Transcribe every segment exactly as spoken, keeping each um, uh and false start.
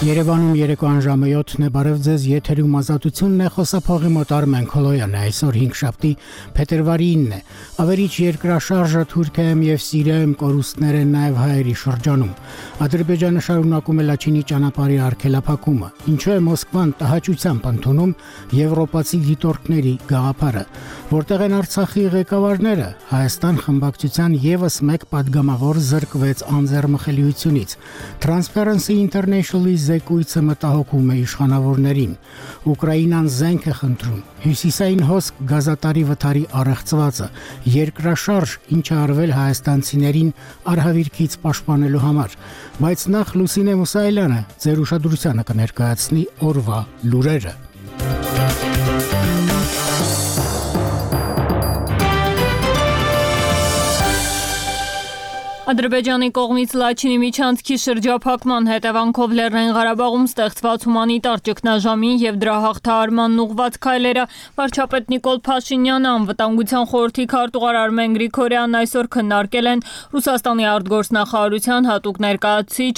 Երևանում երեկոյան ժամը յոթն է, բարև ձեզ, եթերում ազատությունն է, խոսափողի մոտ Արմեն Քոլոյանն է, այսօր հինգշաբթի փետրվարի ինն է, ավերիչ երկրաշարժը Թուրքիայում և Սիրիայում կորուստներ են նաև հայերի շրջանում, Ադրբեջանը շարունակում է Լաչինի ճանապարհի արգելափակումը, ինչու է Մոսկվան տհաճությամբ ընդունում եվրոպացի դիտորդների գաղափարը, որտեղ են Արցախի ղեկավարները, Հայաստան խմբակցության ևս մեկ պատգամավոր զրկվեց անձեռմխելիությունից, Transparency International-ի զեկույցը մտահոգում է իշխանավորներին, Ուկրաինան զենք է խնդրում, հյուսիսային հոսք գազատարի վթարի առեղծվածը, երկրաշարժ, ինչը արվել հայաստանցիներին արհավիրքից պաշտպանելու համար, բայց նախ Լուսինե Մուսայելյանը ձեր ուշադրությանը կներկայացնի օրվա լուրերը։ Ադրբեջանի կողմից Լաչինի միջանցքի շրջափակման հետևանքով Լեռնային Ղարաբաղում ստեղծված հումանիտար ճգնաժամին և դրա հաղթահարմանն ուղղված քայլերը վարչապետ Նիկոլ Փաշինյանը, անվտանգության խորհրդի քարտուղար Արմեն Գրիգորյանն այսօր քննարկել են Ռուսաստանի արտգործնախարարության հատուկ ներկայացուցիչ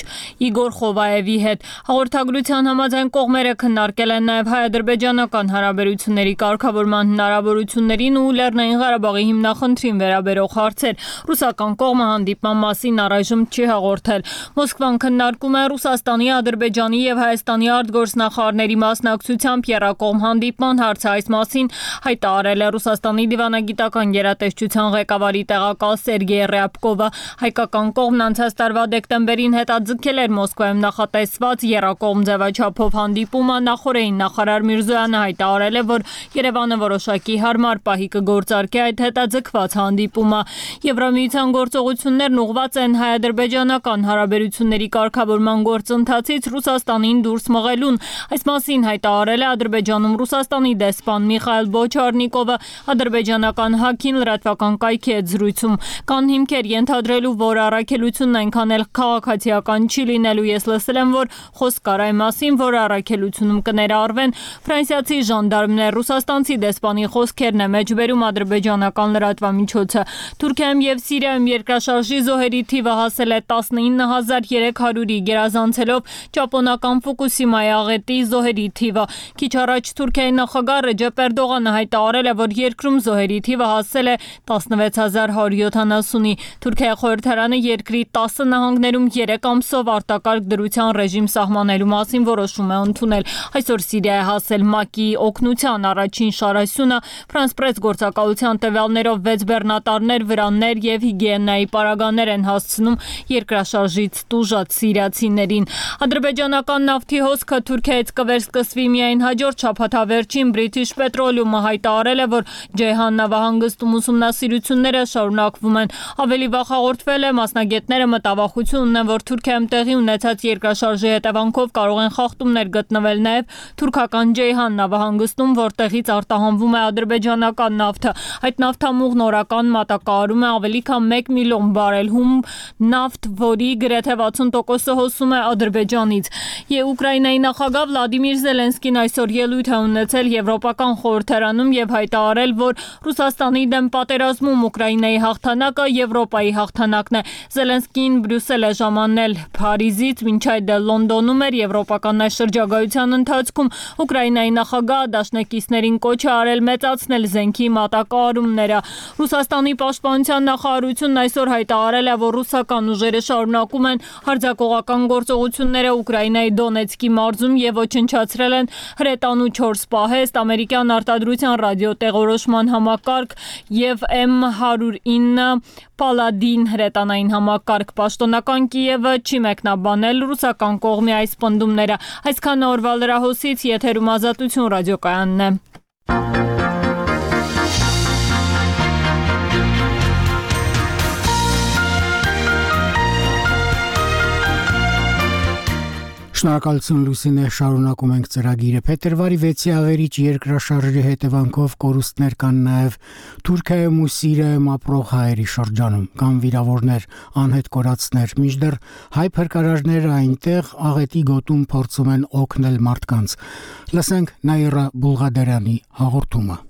Իգոր Խովայևի հետ։ Հաղորդագրության համաձայն կողմերը քննարկել են նաև հայ-ադրբեջանական հարաբերությունների կարգավորման հնարավորություններին ու Լեռնային Ղարաբաղի հիմնախնդրին վերաբերող հարցեր։ Ռուսական կողմը հանդիպման մասին առայժմ չի հաղորդել։ Մոսկվան քննարկում է Ռուսաստանի, Ադրբեջանի և Հայաստանի արտգործնախարարների մասնակցությամբ եռակողմ հանդիպման հարցը, այս մասին հայտարարել է Ռուսաստանի դիվանագիտական գերատեսչության ղեկավարի տեղակալ Սերգեյ Ռյաբկովը։ Հայկական կողմն անցած տարվա դեկտեմբերին հետաձգել էր Մոսկվայում նախատեսված եռակողմ ձևաչափով հանդիպումը, նախորդին նախարար Միրզոյանը հայտարարել է, որ Երևանը որոշակի հարմար պահի կգործարկի այդ հետաձգված հանդիպումը։ Եվրամիության գործողություններն ուղղված են հայ-ադրբեջանական հարաբերությունների կարգավորման գործընթացից Ռուսաստանին դուրս մղելուն։ Այս մասին հայտարարել է Ադրբեջանում Ռուսաստանի դեսպան Միխայիլ Բոչարնիկովը, ադրբեջանական հաքին լրատվական կայքի հետ զրույցում։ Կան հիմքեր ենթադրելու, որ առաքելությունն այնքան էլ քաղաքացիական չի լինելու։ Ես լսել եմ, որ խոսք կար այն մասին, որ առաքելությունում կներառվեն ֆրանսիացի ժանդարմներ, ռուսաստանցի դեսպանի խոսքերն է մեջբերում ադրբեջանական լրատվամիջոցը։ Թուրքիայում և Սիրիայում երկրաշարժի զոհերի թիվը հասել է տասնինը հազար երեք հարյուրի, գերազանցելով ճապոնական Ֆուկուսիմայի աղետի զոհերի թիվը։ Քիչ առաջ Թուրքիայի նախագահ Ռեջեփ Էրդողանը հայտարարել է, որ երկրում զոհերի թիվը հասել է տասնվեց հազար հարյուր յոթանասունի։ Թուրքիայի խորհրդարանը երկրի տասը նահանգներում երեք ամսով արտակարգ դրության ռեժիմ սահմանելու մասին որոշում է ընդունել։ Այսօր Սիրիայի հասել ՄԱԿ-ի օգնության առաջին շարասյունը, Ֆրանս Պրես գործակալության տվյալներով վեց բեռնատարներ, վրաններ և հիգիենայի պարագաներ են հասցնում երկրաշարժից տուժած սիրիացիներին։ Ադրբեջանական նավթի հոսքը Թուրքիայից կվերսկսվի միայն հաջորդ շաբաթավերջին։ British Petroleum-ը հայտարարել է, որ Ջեյհան նավահանգստում ուսումնասիրությունները շարունակվում են։ Ավելի վաղ հաղորդվել է, մասնագետները մտավախություն ունեն, որ Թուրքիայում տեղի ունեցած երկրաշարժի հետևանքով կարող են խախտումներ գտնվել նաև թուրքական Ջեյհան նավահանգստում, որտեղից արտահանվում է ադրբեջանական նավթը։ Այդ նավթամուղն օրական մատակարարում է ավելի քան մեկ միլիոն բարել հում նավթ, որի գրեթե վաթսուն տոկոսը հոսում է Ադրբեջանից։ Եվ Ուկրաինայի նախագահ Վլադիմիր Զելենսկին այսօր ելույթ է ունեցել Եվրոպական խորհրդարանում և հայտարարել, որ Ռուսաստանի դեմ պատերազմում Ուկրաինայի հաղթանակը Եվրոպայի հաղթանակն է։ Զելենսկին Բրյուսել է ժամանել Փարիզից, մինչ այդ Լոնդոնում էր եվրոպական այս շրջագայության ընթացքում Ուկրաինայի նախագահ դաշնակիցներին կոչ է արել մեծացնել զենքի մատակարարումները։ Ռուսաստանի պաշտպանության նախարարությունն այսօր հայտարարել է, որ ռուսական ուժերը շարունակում են հարձակողական գործողությունները Ուկրաինայի Դոնեցկի մարզում և ոչնչացրել են հրետանու չորս պահեստ, ամերիկյան արտադրության ռադիոտեղորոշման համակարգ և էմ հարյուր ինը Պալադին հրետանային համակարգ։ Պաշտոնական Կիևը չի մեկնաբանել ռուսական կողմի այս պնդումները։ Այսքանը օրվա լրահոսից, եթերում Ազատություն ռադիոկայանն է։ Շնորհակալություն Լուսինե, շարունակում ենք ծրագիրը։ Փետրվարի վեցի ավերիչ երկրաշարժի հետևանքով կորուստներ կան նաև Թուրքիայում ու Սիրիայում ապրող հայերի շրջանում, կան վիրավորներ, անհետ կորածներ, մինչդեռ հայ փրկարարները այնտեղ աղետի գոտում փորձում են օգնել մարդկանց։ Լսենք Նաիրա Բուլղադարյանի հաղորդումը։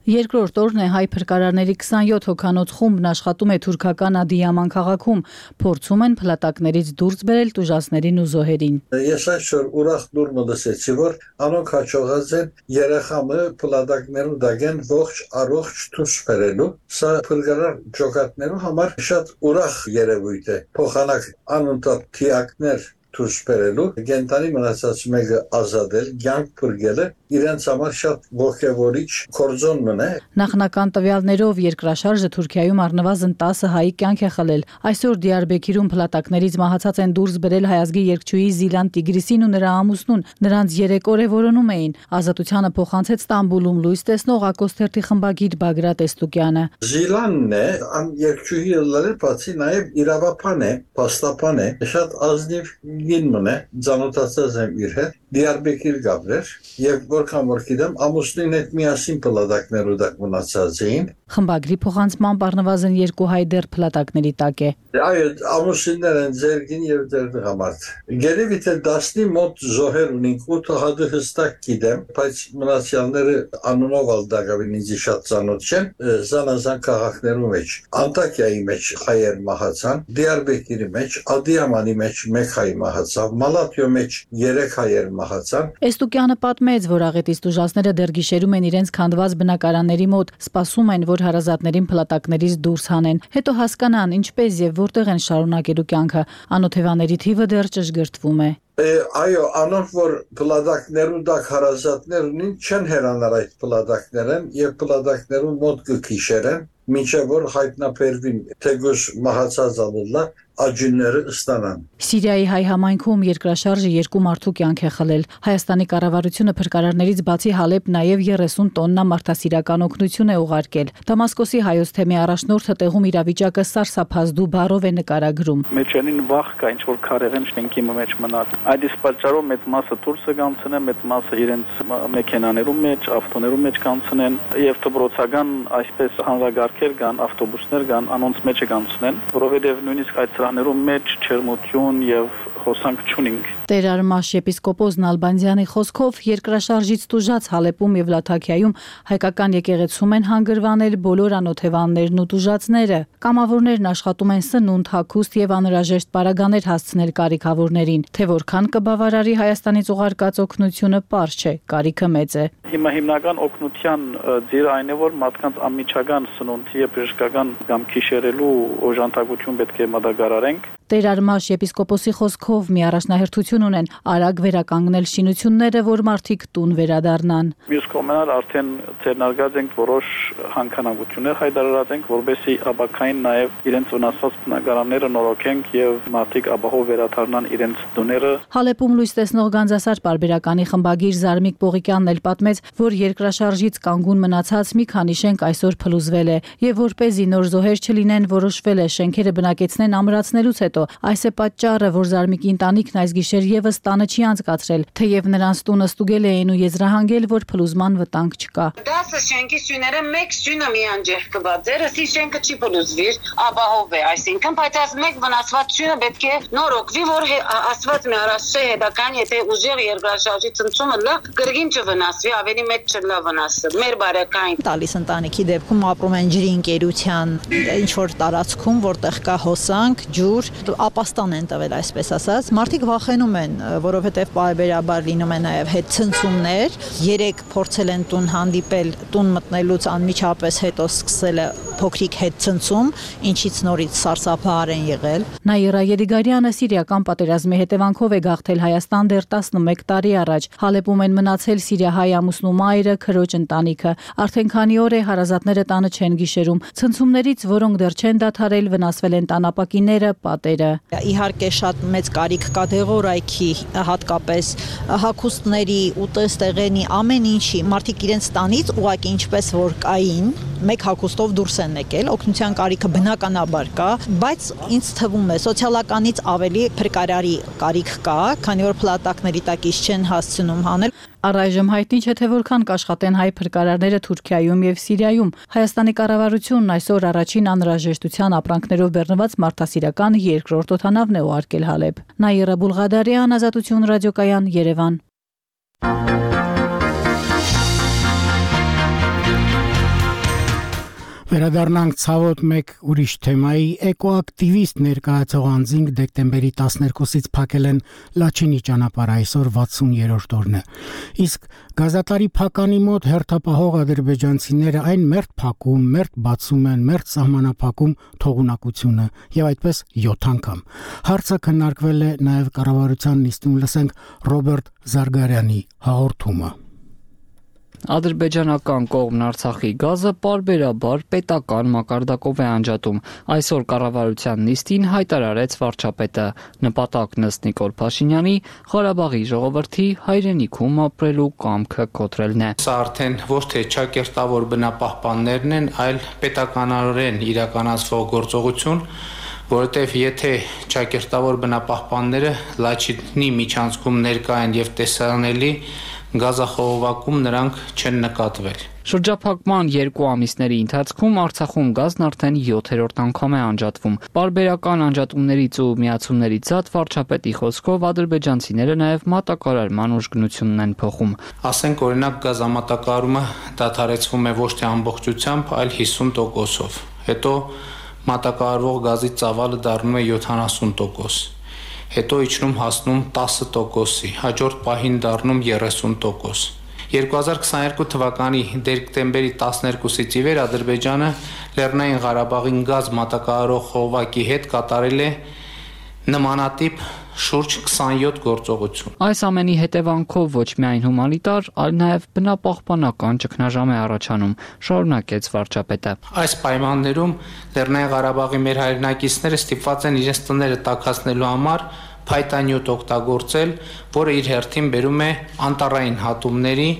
Երկրորդ օրն է հայ փրկարարների քսանյոթ հոգանոց խումբն աշխատում է թուրքական Ադիաման քաղաքում, փորձում են փլատակներից դուրս բերել տուժածներին ու զոհերին։ Ես այսօր ուրախ դուրս լսեցի, որ անոնք հաջողած են երեխամը փլատակներու դագեն ողջ առողջ դուրս բերելու։ Սա փրկարար ջոկատներու համար շատ ուրախ երևույթ է։ Փոխանակ անընդհատ թիակներ դուրս բերելու, գենտանի մնացած մեկը ազատել, կյանք փրկելը իրենց համար շատ ողջևորիչ կորձոն մնա։ Նախնական տվյալներով երկրաշարժը Թուրքիայում առնվազն տասը հայի կյանք է խլել։ Այսօր Դիարբեքիրում փլատակներից մահացած են դուրս բերել հայազգի երգչուհի Զիլան Տիգրիսին ու նրա ամուսնուն։ Նրանց երեք օր է որոնում էին։ Ազատությանը փոխանցեց Ստամբուլում լույս տեսնող Ակոսթերթի խմբագիր Բագրատ Էստուկյանը։ Զիլանն է, ան երգչուհի լրել բացի նաև իրավապան է, փաստապան է, շատ ազնիվ գինմն է, ծանոթացած եմ իր հետ, Դիարբեկիր գաբրեր, եւ որքան որ գիտեմ, ամուսնին հետ միասին փլատակներու դակ մնացած էին։ Խմբագրի փոխանցման առնվազն երկու հայ դեռ փլատակների տակ է։ Այո, ամուսիններ են ձերգին եւ ձեր դղամարդ։ Գերեւի թե դասնի մոտ զոհեր ունենք, ութ հադը հստակ գիտեմ, բայց մնացյալները անունով ալ դակավին ինձ շատ ծանոթ չեն, զանազան քաղաքներու մեջ, Անտակիայի մեջ հայեր մահացան, Դիարբեկիրի մեջ, Ադիամանի մեջ մեկ հայ մահացավ, Մալատիո մեջ երեք հայեր մահացան։ Էստուկյանը պատմեց, որ աղետից տուժածները դեռ գիշերում են իրենց քանդված բնակարանների մոտ, սպասում են, որ հարազատներին փլատակներից դուրս հանեն, հետո հասկանան ինչպես եւ որտեղ են շարունակելու կյանքը։ Անօթևաների թիվը դեռ ճշգրտվում է։ Այո, անոնք որ փլատակներու դակ հարազատներ ունին, չեն հերանար այդ փլատակներն եւ փլատակներու մոտ կքիշերեն, մինչեւ որ հայտնաբերվին թեգուս մահացած ալլա աջինները ստանան։ Սիրիայի հայ համայնքում երկրաշարժը երկու մարդու կյանք է խլել։ Հայաստանի կառավարությունը փրկարարներից բացի Հալեբ նաև երեսուն տոննա մարդասիրական օգնություն է ուղարկել։ Դամասկոսի հայոց թեմի առաջնորդը տեղում իրավիճակը սարսափազդու բառով է նկարագրում։ Մեջանին վախ կա, ինչ որ քարեղեն շենքի մեջ մնալ։ Այդ իսկ պատճառով մեծ մասը դուրս կգանցնեն, մեծ մասը իրենց մեքենաներու մեջ, ավտոներու մեջ կանցնեն եւ դպրոցական այսպես հանրագարքեր կան, ավտոբուսներ կան, անոնց մեջ կգանցնեն, որովհետեւ նույնիսկ այդ սրաներու մեջ չերմություն եւ խոսանք չունենք։ Տեր Արմաշ եպիսկոպոս Նալբանդյանի խոսքով երկրաշարժից տուժած Հալեպում եւ Լաթաքիայում հայկական եկեղեցում են հանգրվանել բոլոր անօթևաններն ու տուժածները։ Կամավորներն աշխատում են սնունդ, հագուստ եւ անհրաժեշտ պարագաներ հասցնել կարիքավորներին։ Թե որքան կբավարարի Հայաստանից ուղարկած օգնությունը պարզ չէ, կարիքը մեծ է։ Հիմա հիմնական օգնության ձիրը այն է, որ մարդկանց անմիջական սնունդի եւ բժշկական կամ քիշերելու օժանդակություն պետք է մատակարարենք։ Տեր Արմաշ եպիսկոպոսի խոսքով մի առաջնահերթություն ունեն արագ վերականգնել շինությունները, որ մարդիկ տուն վերադառնան։ Մյուս կողմից արդեն ձեռնարկած ենք որոշ հանքանակություններ հայտարարած ենք, որովհետեւ ապակային նաև իրենց վնասված բնակարանները նորոգենք եւ մարդիկ ապահով վերադառնան իրենց տուները։ Հալեպում լույս տեսնող Գանձասար պարբերականի խմբագիր Զարմիկ Պողիկյանն էլ պատմեց, որ երկրաշարժից կանգուն մնացած մի քանի շենք այսօր փլուզվել է եւ որպեսզի նոր զոհեր չլինեն, որոշվել է շենքերը բնակեցնեն ամրացնելուց հետո։ Այս է պատճառը, որ Զարմիկի ընտանիքն այս գիշեր եւս տանը չի անցկացրել, թեև նրանց տունը ստուգել էին ու եզրահանգել, որ փլուզման վտանգ չկա։ Դասը շենքի սյուները մեկ սյունը միան ջերկված, ձերսի շենքը չի փլուզվիր, ապահով է, այսինքն, բայց այս մեկ վնասված սյունը պետք է նորոգվի, որ ասված մի առաջի հետական, եթե ուժեղ երկրաշարժի ցնցումը լա, կրկին չվնասվի, ավելի մեծ չլա վնասը։ Մեր բարեկային տալիս ընտանիքի դեպքում ապրում են ջրի ընկերության ինչ որ տարածքում, որտեղ կա հոսանք, ջուր, ապաստան են տվել, այսպես ասած, մարդիկ վախենում են, որովհետև պարբերաբար լինում են նաև հետ ցնցումներ, երեք փորձել են տուն հանդիպել, տուն մտնելուց անմիջապես հետո սկսել է փոքրիկ հետ ցնցում, ինչից նորից սարսափահար են եղել։ Նաիրա Եղիգարյանը սիրիական պատերազմի հետևանքով է գաղթել Հայաստան դեռ տասնմեկ տարի առաջ։ Հալեպում են մնացել սիրիահայ ամուսնու մայրը, քրոջ ընտանիքը։ Արդեն քանի օր է հարազատները տանը չեն գիշերում։ Ցնցումներից, որոնք դեռ չեն դադարել, վնասվել են տանապակիները, պատերը։ Իհարկե շատ մեծ կարիք կա դեղորայքի, հատկապես հագուստների, ուտեստեղենի, ամեն ինչի, մարդիկ իրենց տանից ուղղակի ինչպես որ կային, մեկ հագուստով դուրս են եկել, օգնության կարիքը բնականաբար կա, բայց ինձ թվում է սոցիալականից ավելի փրկարարի կարիք կա, քանի որ փլատակների տակից չեն հասցնում հանել։ Առայժմ հայտնի չէ, թե որքան կաշխատեն հայ փրկարարները Թուրքիայում եւ Սիրիայում։ Հայաստանի կառավարությունն այսօր առաջին անհրաժեշտության ապրանքներով բեռնված մարդասիրական երկրորդ օդանավն է ուղարկել Հալեբ։ Նաիրա Բուլղադարյան, Ազատություն ռադիոկայան, Երևան։ Վերադառնանք ցավոտ մեկ ուրիշ թեմայի էկոակտիվիստ ներկայացող անձինք դեկտեմբերի տասներկուսից փակել են Լաչինի ճանապարհը այսօր վաթսուներորդ օրն է։ Իսկ գազատարի փականի մոտ հերթապահող ադրբեջանցիները այն մերթ փակում, մերթ բացում են, մերթ սահմանափակում թողունակությունը եւ այդպես յոթ անգամ։ Հարցը քննարկվել է նաեւ կառավարության նիստում, լսենք Ռոբերտ Զարգարյանի հաղորդումը։ Ադրբեջանական կողմն Արցախի գազը պարբերաբար պետական մակարդակով է անջատում։ Այսօր կառավարության նիստին հայտարարեց վարչապետը։ Նպատակն ըստ Նիկոլ Փաշինյանի Ղարաբաղի ժողովրդի հայրենիքում ապրելու կամքը կոտրելն է։ Սա արդեն ոչ թե ճակերտավոր բնապահպաններն են, այլ պետականորեն իրականացվող գործողություն, որովհետև եթե ճակերտավոր բնապահպանները Լաչինի միջանցքում ներկա են եւ տեսանելի, գազախողովակում նրանք չեն նկատվել։ Շրջափակման երկու ամիսների ընթացքում Արցախում գազն արդեն յոթերորդ անգամ է անջատվում։ Պարբերական անջատումներից ու միացումներից զատ վարչապետի խոսքով ադրբեջանցիները նաև մատակարարման ուժգնությունն են փոխում։ Ասենք օրինակ գազամատակարարումը դադարեցվում է ոչ թե ամբողջությամբ, այլ հիսուն տոկոսով։ Հետո մատակարարվող գազի ծավալը դառնում է յոթանասուն տոկոս։ Հետո իջնում հասնում տասը տոկոսի, հաջորդ պահին դառնում երեսուն տոկոս։ երկու հազար քսաներկու թվականի դեկտեմբերի տասներկուսից ի վեր Ադրբեջանը Լեռնային Ղարաբաղին գազ մատակարարող խողովակի հետ կատարել է նմանատիպ շուրջ քսանյոթ գործողություն։ Այս ամենի հետևանքով ոչ միայն հումանիտար, այլ նաև բնապահպանական ճգնաժամ է առաջանում, շարունակեց վարչապետը։ Այս պայմաններում Լեռնային Ղարաբաղի մեր հայրենակիցները ստիպված են իրենց տները տաքացնելու համար փայտանյութ օգտագործել, որը իր հերթին բերում է անտառային հատումների,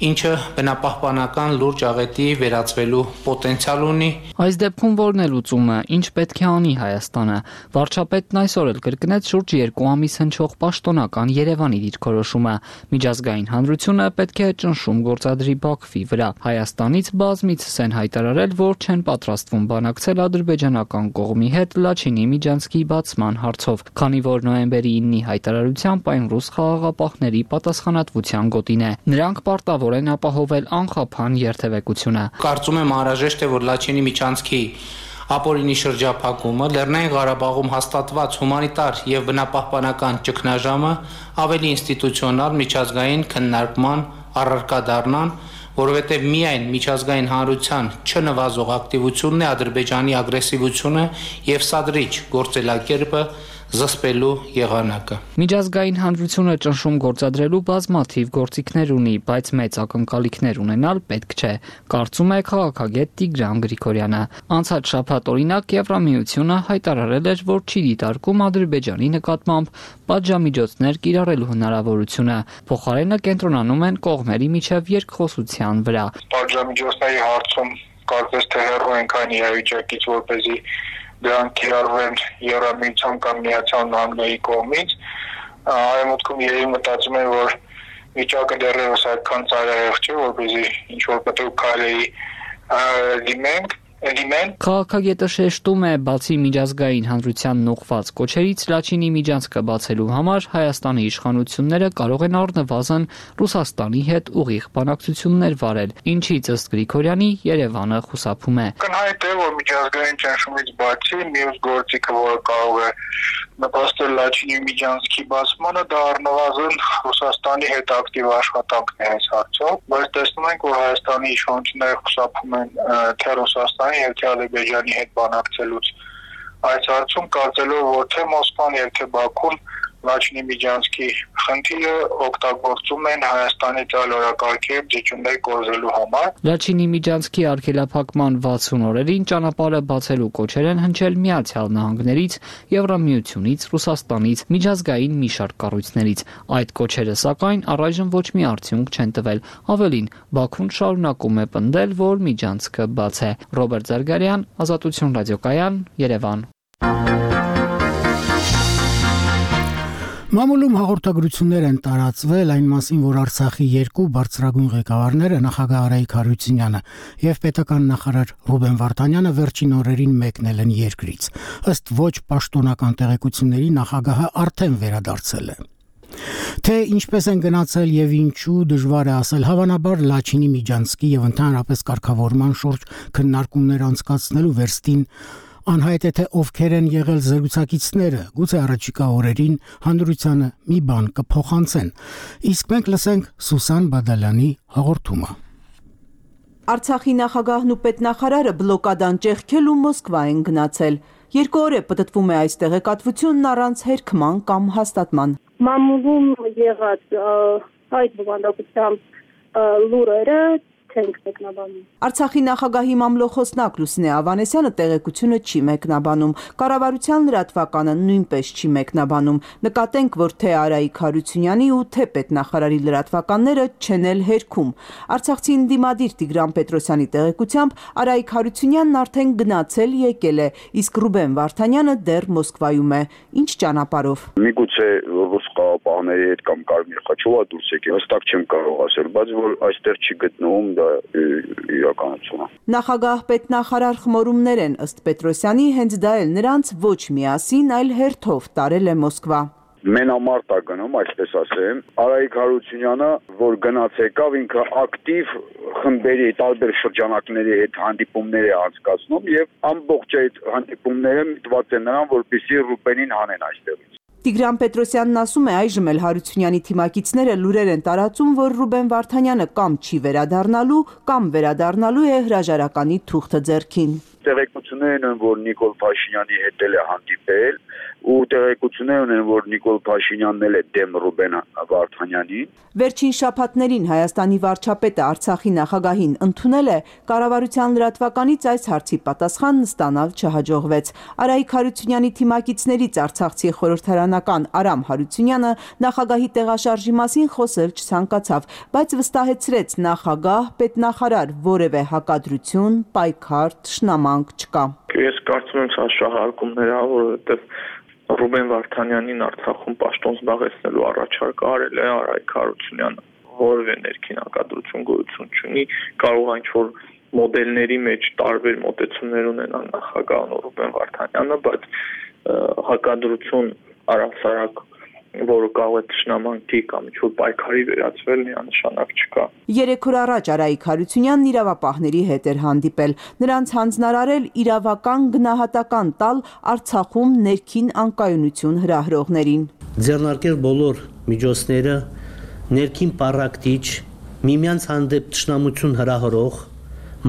ինչը բնապահպանական լուրջ աղետի վերածվելու պոտենցիալ ունի։ Այս դեպքում որն է լուծումը, ինչ պետք է անի Հայաստանը։ Վարչապետն այսօր էլ կրկնեց շուրջ երկու ամիս հնչող պաշտոնական Երևանի դիրքորոշումը։ Միջազգային հանրությունը պետք է ճնշում գործադրի Բաքվի վրա։ Հայաստանից բազմիցս են հայտարարել, որ չեն պատրաստվում բանակցել ադրբեջանական կողմի հետ Լաչինի միջանցքի բացման հարցով, քանի որ նոյեմբերի իննի հայտարարությամբ այն ռուս խաղաղապահների պատասխանատվության գոտին է։ Նրանք պարտավոր են ապահովել անխափան երթևեկությունը։ Կարծում եմ անհրաժեշտ է, որ Լաչինի միջանցքի ապօրինի շրջափակումը, Լեռնային Ղարաբաղում հաստատված հումանիտար եւ բնապահպանական ճգնաժամը ավելի ինստիտուցիոնալ միջազգային քննարկման առարկա դառնան, որովհետեւ միայն միջազգային հանրության չնվազող ակտիվությունն է Ադրբեջանի ագրեսիվությունը եւ սադրիչ գործելակերպը զսպելու եղանակը։ Միջազգային հանրությունը ճնշում գործադրելու բազմաթիվ գործիքներ ունի, բայց մեծ ակնկալիքներ ունենալ պետք չէ, կարծում է քաղաքագետ Տիգրան Գրիգորյանը։ Անցած շաբաթ օրինակ Եվրամիությունը հայտարարել էր, որ չի դիտարկում Ադրբեջանի նկատմամբ պատժամիջոցներ կիրառելու հնարավորությունը, փոխարենը կենտրոնանում են կողմերի միջև երկխոսության վրա։ Պատժամիջոցների հարցում կարծես թե հեռու ենք այն իրավիճակից, որպեսզի դրանք կիրառվեն Եվրամիության կամ Միացյալ Նահանգների կողմից, արևմուտքում երևի մտածում են, որ վիճակը դեռևս այդքան ծայրահեղ չէ, որպեսզի ինչ-որ պետք քայլերի դիմենք, դիմեն։ Քաղաքագետը շեշտում է, բացի միջազգային հանրությանն ուղղված կոչերից, Լաչինի միջանցքը բացելու համար Հայաստանի իշխանությունները կարող են առնվազն Ռուսաստանի հետ ուղիղ բանակցություններ վարել, ինչից ըստ Գրիգորյանի Երևանը խուսափում է։ Կնհայտ է, որ միջազգային ճնշումից բացի մյուս գործիքը, որը կարող է նպաստել Լաչինի միջանցքի բացմանը, դա առնվազն Ռուսաստանի հետ ակտիվ աշխատանքն է այս հարցով, բայց տեսնում ենք, որ Հայաստանի իշխանությունները խուսափում են թե Ռուսաստանի եւ թե Ադրբեջանի հետ բանակցելուց այս հարցում, կարծելով, որ թե Մոսկվան եւ թե Բաքուն Լաչինի միջանցքի խնդիրը օգտագործում են Հայաստանի տալ օրակարգեր ձգումներ կորզելու համար։ Լաչինի միջանցքի արգելափակման վաթսուն օրերին ճանապարհը բացելու կոչեր են հնչել Միացյալ Նահանգներից, Եվրամիությունից, Ռուսաստանից, միջազգային մի շարք կառույցներից։ Այդ կոչերը սակայն առայժմ ոչ մի արդյունք չեն տվել։ Ավելին, Բաքուն շարունակում է պնդել, որ միջանցքը բաց է։ Ռոբերտ Զարգարյան, Ազատություն ռադիոկայան, Երևան։ Մամուլում հաղորդագրություններ են տարածվել այն մասին, որ Արցախի երկու բարձրագույն ղեկավարները նախագահ Արայիկ Հարությունյանը եւ պետական նախարար Ռուբեն Վարդանյանը վերջին օրերին մեկնել են երկրից։ Ըստ ոչ պաշտոնական տեղեկությունների նախագահը արդեն վերադարձել է։ Թե ինչպես են գնացել եւ ինչու դժվար է ասել, հավանաբար Լաչինի Միջանցքի եւ ընդհանրապես կարգավորման շուրջ քննարկումներ անցկացնելու վերստին անհայտ է թե ովքեր են եղել զրուցակիցները, գուցե առաջիկա օրերին հանրությանը մի բան կփոխանցեն։ Իսկ մենք լսենք Սուսան Բադալյանի հաղորդումը։ Արցախի նախագահն ու պետնախարարը բլոկադան ճեղքելու Մոսկվա են գնացել։ Երկու օր է պտտվում է այս տեղեկատվությունն առանց հերքման կամ հաստատման։ Մամուլում եղած այդ բովանդակությամբ լուրերը չենք մեկնաբանում։ Արցախի նախագահի մամլոխոսնակ Լուսինե Ավանեսյանը տեղեկությունը չի մեկնաբանում։ Կառավարության լրատվականը նույնպես չի մեկնաբանում։ Նկատենք, որ թե Արայիկ Հարությունյանի ու թե պետնախարարի լրատվականները չեն էլ հերքում։ Արցախցի ընդդիմադիր Տիգրան Պետրոսյանի տեղեկությամբ Արայիկ Հարությունյանն արդեն գնացել եկել է, իսկ Ռուբեն Վարդանյանը դեռ Մոսկվայում է։ Ինչ ճանապարհով։ Միգուցե ռուս խաղապահների հետ կամ Կարմիր խաչովա դուրս եկել, հստակ չեմ կարող ասել, բայց որ այստեղ չի գտնվում իրականությունը։ Նախագահ պետնախարար խմորումներ են ըստ Պետրոսյանի, հենց դա էլ նրանց ոչ միասին, այլ հերթով տարել է Մոսկվա։ Մենամարտ է գնում, այսպես ասեմ, Արայիկ Հարությունյանը, որ գնաց եկավ, ինքը ակտիվ խմբերի տարբեր շրջանակների հետ հանդիպումներ է անցկացնում եւ ամբողջ այդ հանդիպումները միտված են նրան, որպեսզի Ռուբենին հանեն այստեղից։ Տիգրան Պետրոսյանն ասում է, այժմ էլ Հարությունյանի թիմակիցները լուրեր են տարածում, որ Ռուբեն Վարդանյանը կամ չի վերադառնալու, կամ վերադառնալու է հրաժարականի թուղթը ձեռքին։ Տեղեկություններ են, որ Նիկոլ Փաշինյանի հետ էլ է հանդիպել, ու տեղեկություններ ունեն, որ Նիկոլ Փաշինյանն էլ է դեմ Ռուբեն Վարդանյանին։ Վերջին շաբաթներին Հայաստանի վարչապետը Արցախի նախագահին ընդունել է, կառավարության լրատվականից այս հարցի պատասխանն ստանալ չհաջողվեց։ Արայիկ Հարությունյանի թիմակիցներից Արցախցի խորհրդարանական Արամ Հարությունյանը նախագահի տեղաշարժի մասին խոսել չցանկացավ, բայց վստահեցրեց նախագահ, պետնախարար, որևէ հակադրություն, պայքար, թշնամանք չկա։ Ես կարծում եմ սա շահարկումներ է, որովհետև Ռուբեն Վարդանյանին Արցախում պաշտոն զբաղեցնելու առաջարկ արել է Արայիկ Հարությունյանը, որևէ ներքին հակադրություն գոյություն չունի, կարող է ինչ-որ մոդելների մեջ տարբեր մոտեցումներ ունենալ նախագահն ու Ռուբեն Վարդանյանը, բայց հակադրություն առասարակ, որը կարող է թշնամանքի կամ ինչ-որ պայքարի վերածվել, միանշանակ չկա։ Երեք օր առաջ Արայիկ Հարությունյանն իրավապահների հետ էր հանդիպել, նրանց հանձնարարել իրավական գնահատական տալ Արցախում ներքին անկայունություն հրահրողներին։ Ձեռնարկել բոլոր միջոցները ներքին պառակտիչ, միմյանց հանդեպ թշնամություն հրահրող,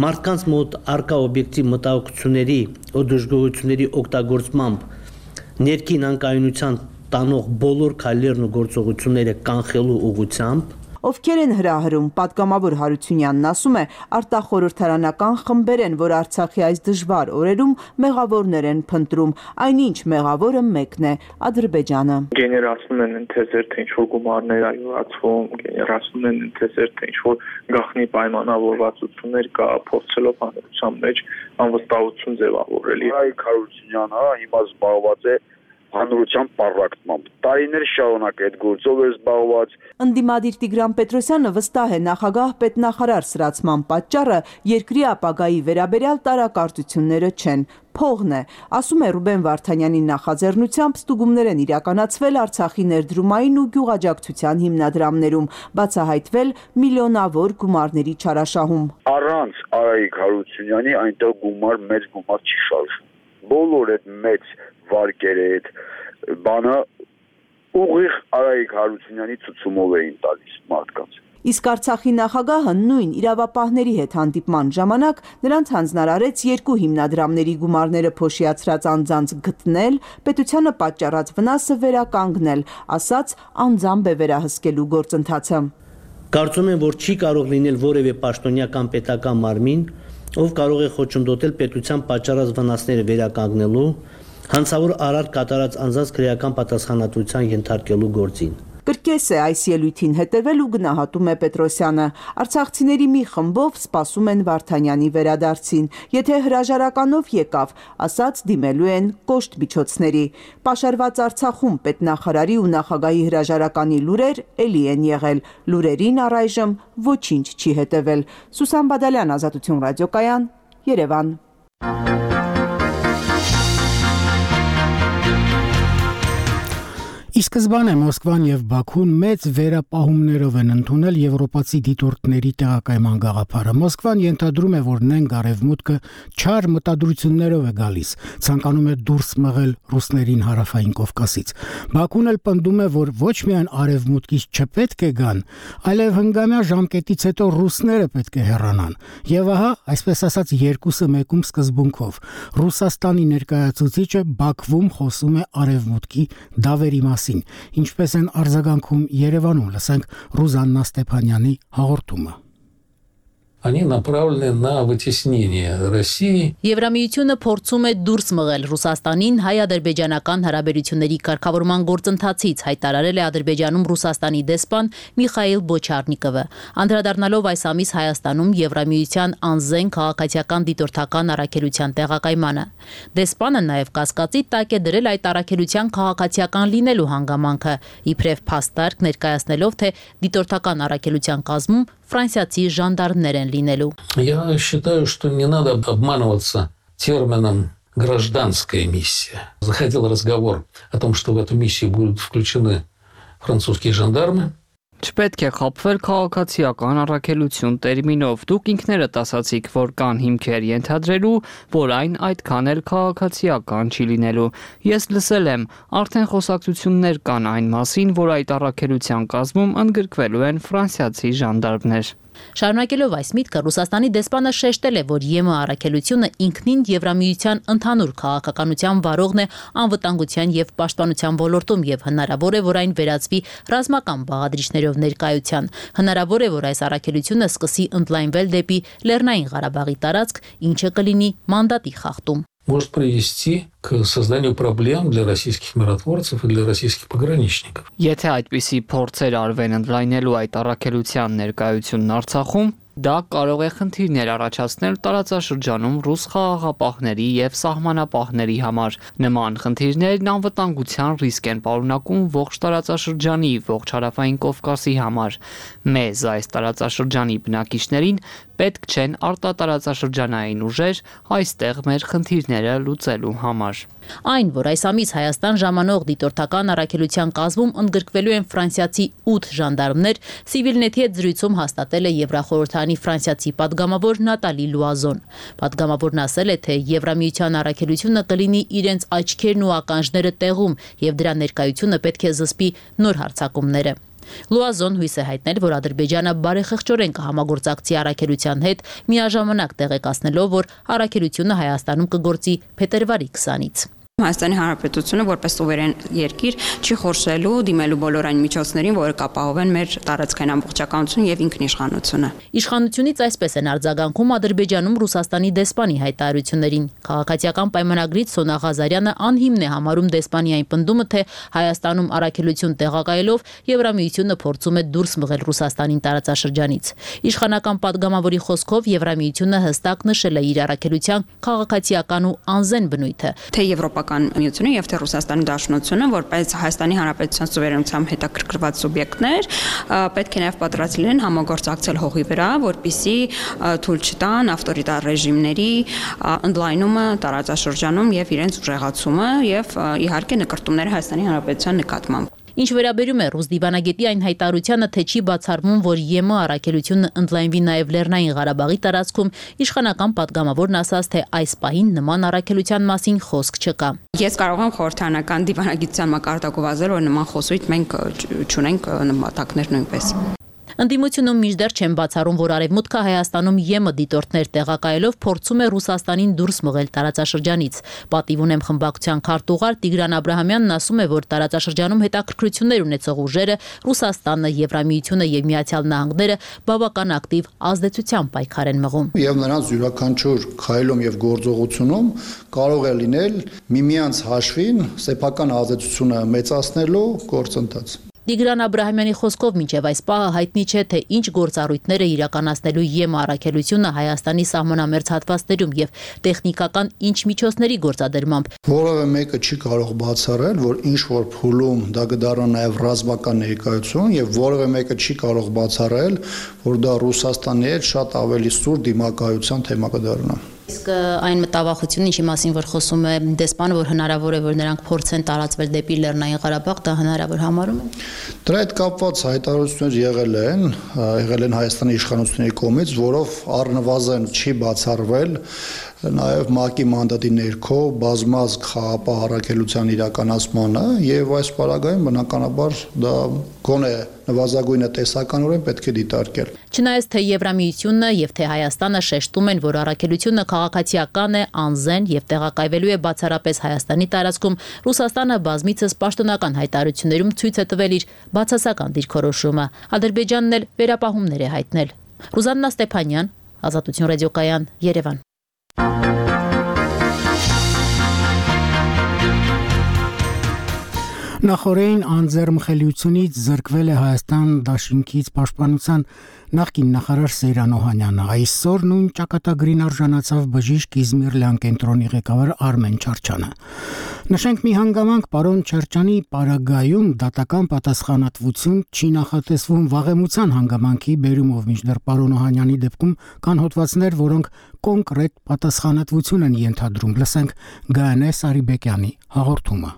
մարդկանց մոտ արկա օբյեկտիվ մտահոգությունների ու դժգոհությունների օգտագործմամբ ներքին անկայունության տանող բոլոր քայլերն ու գործողությունները կանխելու ուղղությամբ։ Ովքեր են հրահրում, պատգամավոր Հարությունյանն ասում է, արտախորհրդարանական խմբեր են, որ Արցախի այս դժվար օրերում մեղավորներ են փնտրում, այնինչ մեղավորը մեկն է՝ Ադրբեջանը։ Գեներացնում են ընթերցեր, թե ինչ-որ գումարներ ա յուրացվում, գեներացնում են ընթերցեր, թե ինչ-որ գաղտնի պայմանավորվածություններ կա, փորձելով հանրության մեջ անվստահություն ձևավորել։ Արայիկ Հարությունյանը հիմա զբաղված է հանրության պառակտմամբ։ Տարիներ շարունակ այդ գործով է զբաղված։ Ընդդիմադիր Տիգրան Պետրոսյանը վստահ է նախագահ պետնախարար սրացման պատճառը երկրի ապագայի վերաբերյալ տարակարծությունները չեն, փողն է։ Ասում է Ռուբեն Վարդանյանի նախաձեռնությամբ ստուգումներ են իրականացվել Արցախի ներդրումային ու գյուղաճակցության հիմնադրամներում, բացահայտվել միլիոնավոր գումարների չարաշահում։ Առանց Արայիկ Հարությունյանի այնտեղ գումար մեծ գումար չի շարժվում։ Բոլոր այդ մեծ վարկերը այդ բանը ուղիղ Արայիկ Հարությունյանի ցուցումով էին տալիս մարդկանց։ Իսկ Արցախի նախագահը նույն իրավապահների հետ հանդիպման ժամանակ նրանց հանձնարարեց երկու հիմնադրամների գումարները փոշիացրած անձանց գտնել, պետությանը պատճառած վնասը վերականգնել, ասաց անձամբ է վերահսկելու գործընթացը։ Կարծում եմ, որ չի կարող լինել որևէ պաշտոնյա կամ պետական մարմին, ով կարող է խոչընդոտել պետության պատճառած վնասները վերականգնելու, հանցավոր արար կատարած անձանց քրեական պատասխանատվության ենթարկելու գործին։ Կրկես է այս ելույթին հետևել ու գնահատում է Պետրոսյանը։ Արցախցիների մի խմբով սպասում են Վարդանյանի վերադարձին։ Եթե հրաժարականով եկավ, ասաց դիմելու են կոշտ միջոցների։ Պաշարված Արցախում պետնախարարի ու նախագահի հրաժարականի լուրեր էլի են եղել։ Լուրերին առայժմ ոչինչ չի հետևել։ Սուսան Բադալյան, Ազատություն ռադիոկայան, Երևան։ Ի սկզբանե Մոսկվան եւ Բաքուն մեծ վերապահումներով են ընդունել եվրոպացի դիտորդների տեղակայման գաղափարը։ Մոսկվան ենթադրում է, որ նենք արևմուտքը չար մտադրություններով է գալիս, ցանկանում է դուրս մղել ռուսներին հարավային Կովկասից։ Բաքուն էլ պնդում է, որ ոչ միայն արևմուտքից չպետք է գան, այլև հնգամյա ժամկետից հետո ռուսները պետք է հեռանան։ Եվ ահա, այսպես ասած, երկուսը մեկում սկզբունքով։ Ռուսաստանի ներկայացուցիչը Բաքվում խոսում է արևմուտքի դավերի մասին, ինչպես են արձագանքում Երևանում, լսենք Ռուզաննա Ստեփանյանի հաղորդումը։ Они направлены на вытеснение России. Եվրամիությունը փորձում է դուրս մղել Ռուսաստանին հայ-ադրբեջանական հարաբերությունների կարգավորման գործընթացից, հայտարարել է Ադրբեջանում Ռուսաստանի դեսպան Միխայիլ Բոչարնիկովը։ Անդրադառնալով այս ամիս Հայաստանում Եվրամիության անզեն քաղաքացիական դիտորդական առաքելության տեղակայմանը։ Դեսպանը նաև կասկածի տակ է դրել այդ առաքելության քաղաքացիական լինելու հանգամանքը, իբրև փաստարկ ներկայացնելով, թե դիտորդական առաքելության կազմում ֆրանսիացի ժանդարմներ են լինելու։ Я считаю, что не надо обманываться термином «гражданская миссия». Заходил разговор о том, что в эту миссию будут включены французские жандармы. Չպետք է խաբվել քաղաքացիական առաքելություն տերմինով։ Դուք ինքներդ ասացիք, որ կան հիմքեր ենթադրելու, որ այն այդքան էլ քաղաքացիական չի լինելու։ Ես լսել եմ, արդեն խոսակցություններ կան այն մասին, որ այդ առաքելության կազմում ընդգրկվելու են ֆրանսիացի ժանդարմներ։ Շարունակելով այս միտքը, Ռուսաստանի դեսպանը շեշտել է, որ ԵՄ առաքելությունը ինքնին Եվրամիության ընդհանուր քաղաքականության վարողն է անվտանգության եւ պաշտպանության ոլորտում եւ հնարավոր է, որ այն վերածվի ռազմական բաղադրիչներով ներկայության։ Հնարավոր է, որ այս առաքելությունը սկսի ընդլայնվել դեպի Լեռնային Ղարաբաղի տարածք, ինչը կլինի մանդատի խախտում։ Может привести к созданию проблем для российских миротворцев и для российских пограничников. Եթե այդպիսի փորձեր արվեն ընդլայնելու այդ առաքելության ներկայությունն Արցախում, դա կարող է խնդիրներ առաջացնել տարածաշրջանում ռուս խաղաղապահների եւ սահմանապահների համար։ Նման խնդիրներն անվտանգության ռիսկ են պարունակում ողջ տարածաշրջանի, ողջ հարավային Կովկասի համար։ Մեզ այս տարածաշրջանի բնակիչներին պետք չեն արտատարածաշրջանային ուժեր այստեղ մեր խնդիրները լուծելու համար։ Այն, որ այս ամիս Հայաստան ժամանող դիտորդական առաքելության կազմում ընդգրկվելու են ֆրանսիացի ութ ժանդարմներ, Civilnet-ի հետ զրույցում հաստատել է Եվրախորհրդանի ֆրանսիացի падգամավոր Նատալի Լուազոն։ Падգամավորն ասել է, թե Եվրամիության առաքելությունը կլինի իրենց աչքերն ու ականջները տեղում եւ դրա ներկայությունը պետք է զսպի նոր հարձակումները։ Լուազոն հույս է հայտնել, որ Ադրբեջանը բարեխղճորեն կհամագործակցի առաքելության հետ, միաժամանակ տեղեկացնելով, որ առաքելությունը Հայաստանում կգործի փետրվարի քսանից։ Հայաստանի Հանրապետությունը որպես սուվերեն երկիր չի խորշելու դիմելու բոլոր այն միջոցներին, որը կապահովեն մեր տարածքային ամբողջականությունը եւ ինքնիշխանությունը։ Իշխանությունից այսպես են արձագանքում Ադրբեջանում Ռուսաստանի դեսպանի հայտարարություններին։ Քաղաքացիական պայմանագրից Սոնա Ղազարյանը անհիմն է համարում դեսպանի այն պնդումը, թե Հայաստանում առաքելություն տեղակայելով Եվրամիությունը փորձում է դուրս մղել Ռուսաստանին տարածաշրջանից։ Իշխանական падգամավորի խոսքով Եվրամիությունը հստակ նշել է իր առաքելության քաղաքացիական ու անզեն բնույթը, թե Եվրոպական միությունը եւ թե Ռուսաստանի Դաշնությունը որպես Հայաստանի Հանրապետության սուվերենությամբ հետաքրքրված սուբյեկտներ պետք է նաեւ պատրաստ լինեն համագործակցել հողի վրա, որպիսի թույլ չտան ավտորիտար ռեժիմների ընդլայնումը տարածաշրջանում եւ իրենց ուժեղացումը եւ իհարկե նկարտումները Հայաստանի Հանրապետության նկատմամբ։ Ինչ վերաբերում է ռուս դիվանագետի այն հայտարարությանը, թե չի բացառվում, որ ԵՄ առաքելությունը ընդլայնվի նաև Լեռնային Ղարաբաղի տարածքում, իշխանական падգամավորն ասաց, թե այս պահին նման առաքելության մասին խոսք չկա։ Ես կարող եմ խորհրդանական դիվանագիտության մակարդակով ասել, որ նման խոսույթ մենք չունենք նպատակներ նույնպես։ Ընդդիմությունում մինչդեռ չեն բացառում, որ Արևմուտքը Հայաստանում ԵՄ դիտորդներ տեղակայելով փորձում է Ռուսաստանին դուրս մղել տարածաշրջանից։ Պատիվ ունեմ խմբակցության քարտուղար Տիգրան Աբրահամյանն ասում է, որ տարածաշրջանում հետաքրքրություններ ունեցող ուժերը Ռուսաստանը, Եվրամիությունը եւ Միացյալ Նահանգները բավական ակտիվ ազդեցության պայքար են մղում։ Եվ նրանց յուրաքանչյուր քայլում եւ գործողությունում կարող է լինել միմյանց հաշվին սեփական ազդեցությունը մեծացնելու գործընթաց։ Տիգրան Աբրահամյանի խոսքով մինչև այս պահը հայտնի չէ, թե ինչ գործառույթներ է իրականացնելու ԵՄ առաքելությունը Հայաստանի սահմանամերձ հատվածներում եւ տեխնիկական ինչ միջոցների գործադրմամբ։ Որևէ մեկը չի կարող բացառել, որ ինչ որ փուլում դա կդառնա նաեւ ռազմական ներկայություն եւ որևէ մեկը չի կարող բացառել, որ դա Ռուսաստանի հետ շատ ավելի սուր դիմակայության թեմա կդառնա։ Իսկ այն մտավախությունը, ինչի մասին որ խոսում է դեսպանը, որ հնարավոր է որ նրանք փորձեն տարածվել դեպի Լեռնային Ղարաբաղ, դա հնարավոր համարում են։ Դրա հետ կապված հայտարարություններ եղել են, եղել են Հայաստանի իշխանությունների կողմից, որով առնվազն չի բացառվել նաև ՄԱԿ-ի մանդատի ներքո բազմազգ խաղապահ առաքելության իրականացմանը եւ այս պարագայում բնականաբար դա գոնե նվազագույնը տեսականորեն պետք է դիտարկել։ Չնայած թե Եվրամիությունը եւ թե Հայաստանը շեշտում են, որ առաքելությունը քաղաքացիական է, անզեն եւ տեղակայվելու է բացառապես Հայաստանի տարածքում, Ռուսաստանը բազմիցս պաշտոնական հայտարարություններում ցույց է տվել իր բացասական դիրքորոշումը։ Ադրբեջանն էլ վերապահումներ է հայտնել։ Ռուզաննա Ստեփանյան, Ազատություն ռադիոկայան, Երևան։ Նախորդին անձեռմխելիությունից զրկվել է Հայաստան Դաշինքից պաշտպանության նախկին նախարար Սեյրան Օհանյանը։ Այսօր նույն ճակատագրին արժանացավ բժիշկ Իզմիր կենտրոնի ղեկավար Արմեն Չարչյանը։ Նշենք մի հանգամանք պարոն Չարչյանի պարագայում դատական պատասխանատվություն չի նախատեսվում վաղեմության հանգամանքի բերումով, մինչդեռ պարոն Օհանյանի դեպքում կան հոդվածներ, որոնք կոնկրետ պատասխանատվություն են ենթադրում։ Լսենք Գայանե Սարիբեկյանի հաղորդումը։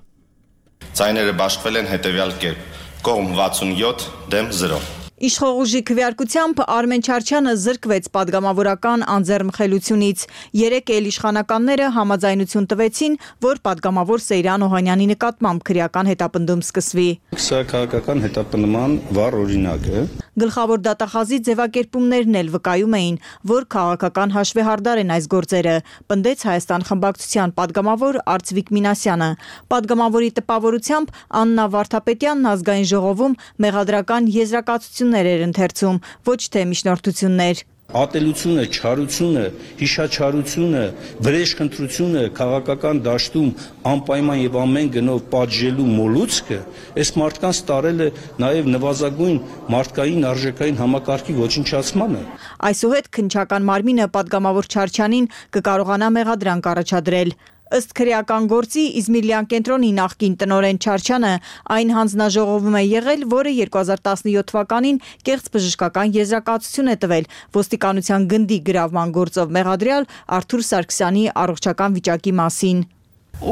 Ձայները բաշխվել են հետևյալ կերպ. կողմ վաթսունյոթ դեմ զրո։ Իշխողուժի քվեարկությամբ Արմեն Չարչյանը զրկվեց падգամավորական անձեռմխելությունից։ Երեք էլ իշխանականները համաձայնություն տվեցին, որ падգամավոր Սեյրան Օհանյանի նկատմամբ քրեական հետապնդում սկսվի։ Սա քաղաքական հետապնդման վառ օրինակ է։ Գլխավոր դատախազի ձևակերպումներն էլ վկայում էին, որ քաղաքական հաշվեհարդար են այս գործերը, պնդեց Հայաստան խմբակցության падգամավոր Արծվիկ Մինասյանը։ Падգամավորի տպավորությամբ Աննա Վարդապետյանն ազգային ժողովում մեղադրական եզրակացություններ էր ընթերցում, ոչ թե միջնորդություններ։ Ատելությունը, չարությունը, հիշաչարությունը, վրեժխնդրությունը քաղաքական դաշտում անպայման եւ ամեն գնով պատժելու մոլուցքը այս մարդկանց տարել է նաեւ նվազագույն մարդկային արժեքային համակարգի ոչնչացմանը։ Այսուհետ քննչական մարմինը падգամավոր Չարչյանին կկարողանա մեղադրանք առաջադրել։ Ըստ քրեական գործի Իզմիրլյան կենտրոնի նախկին տնօրեն Չարչյանը այն հանձնաժողովում է եղել, որը երկու հազար տասնյոթ թվականին կեղծ բժշկական եզրակացություն է տվել ոստիկանության գնդի գրավման գործով մեղադրյալ Արթուր Սարգսյանի առողջական վիճակի մասին։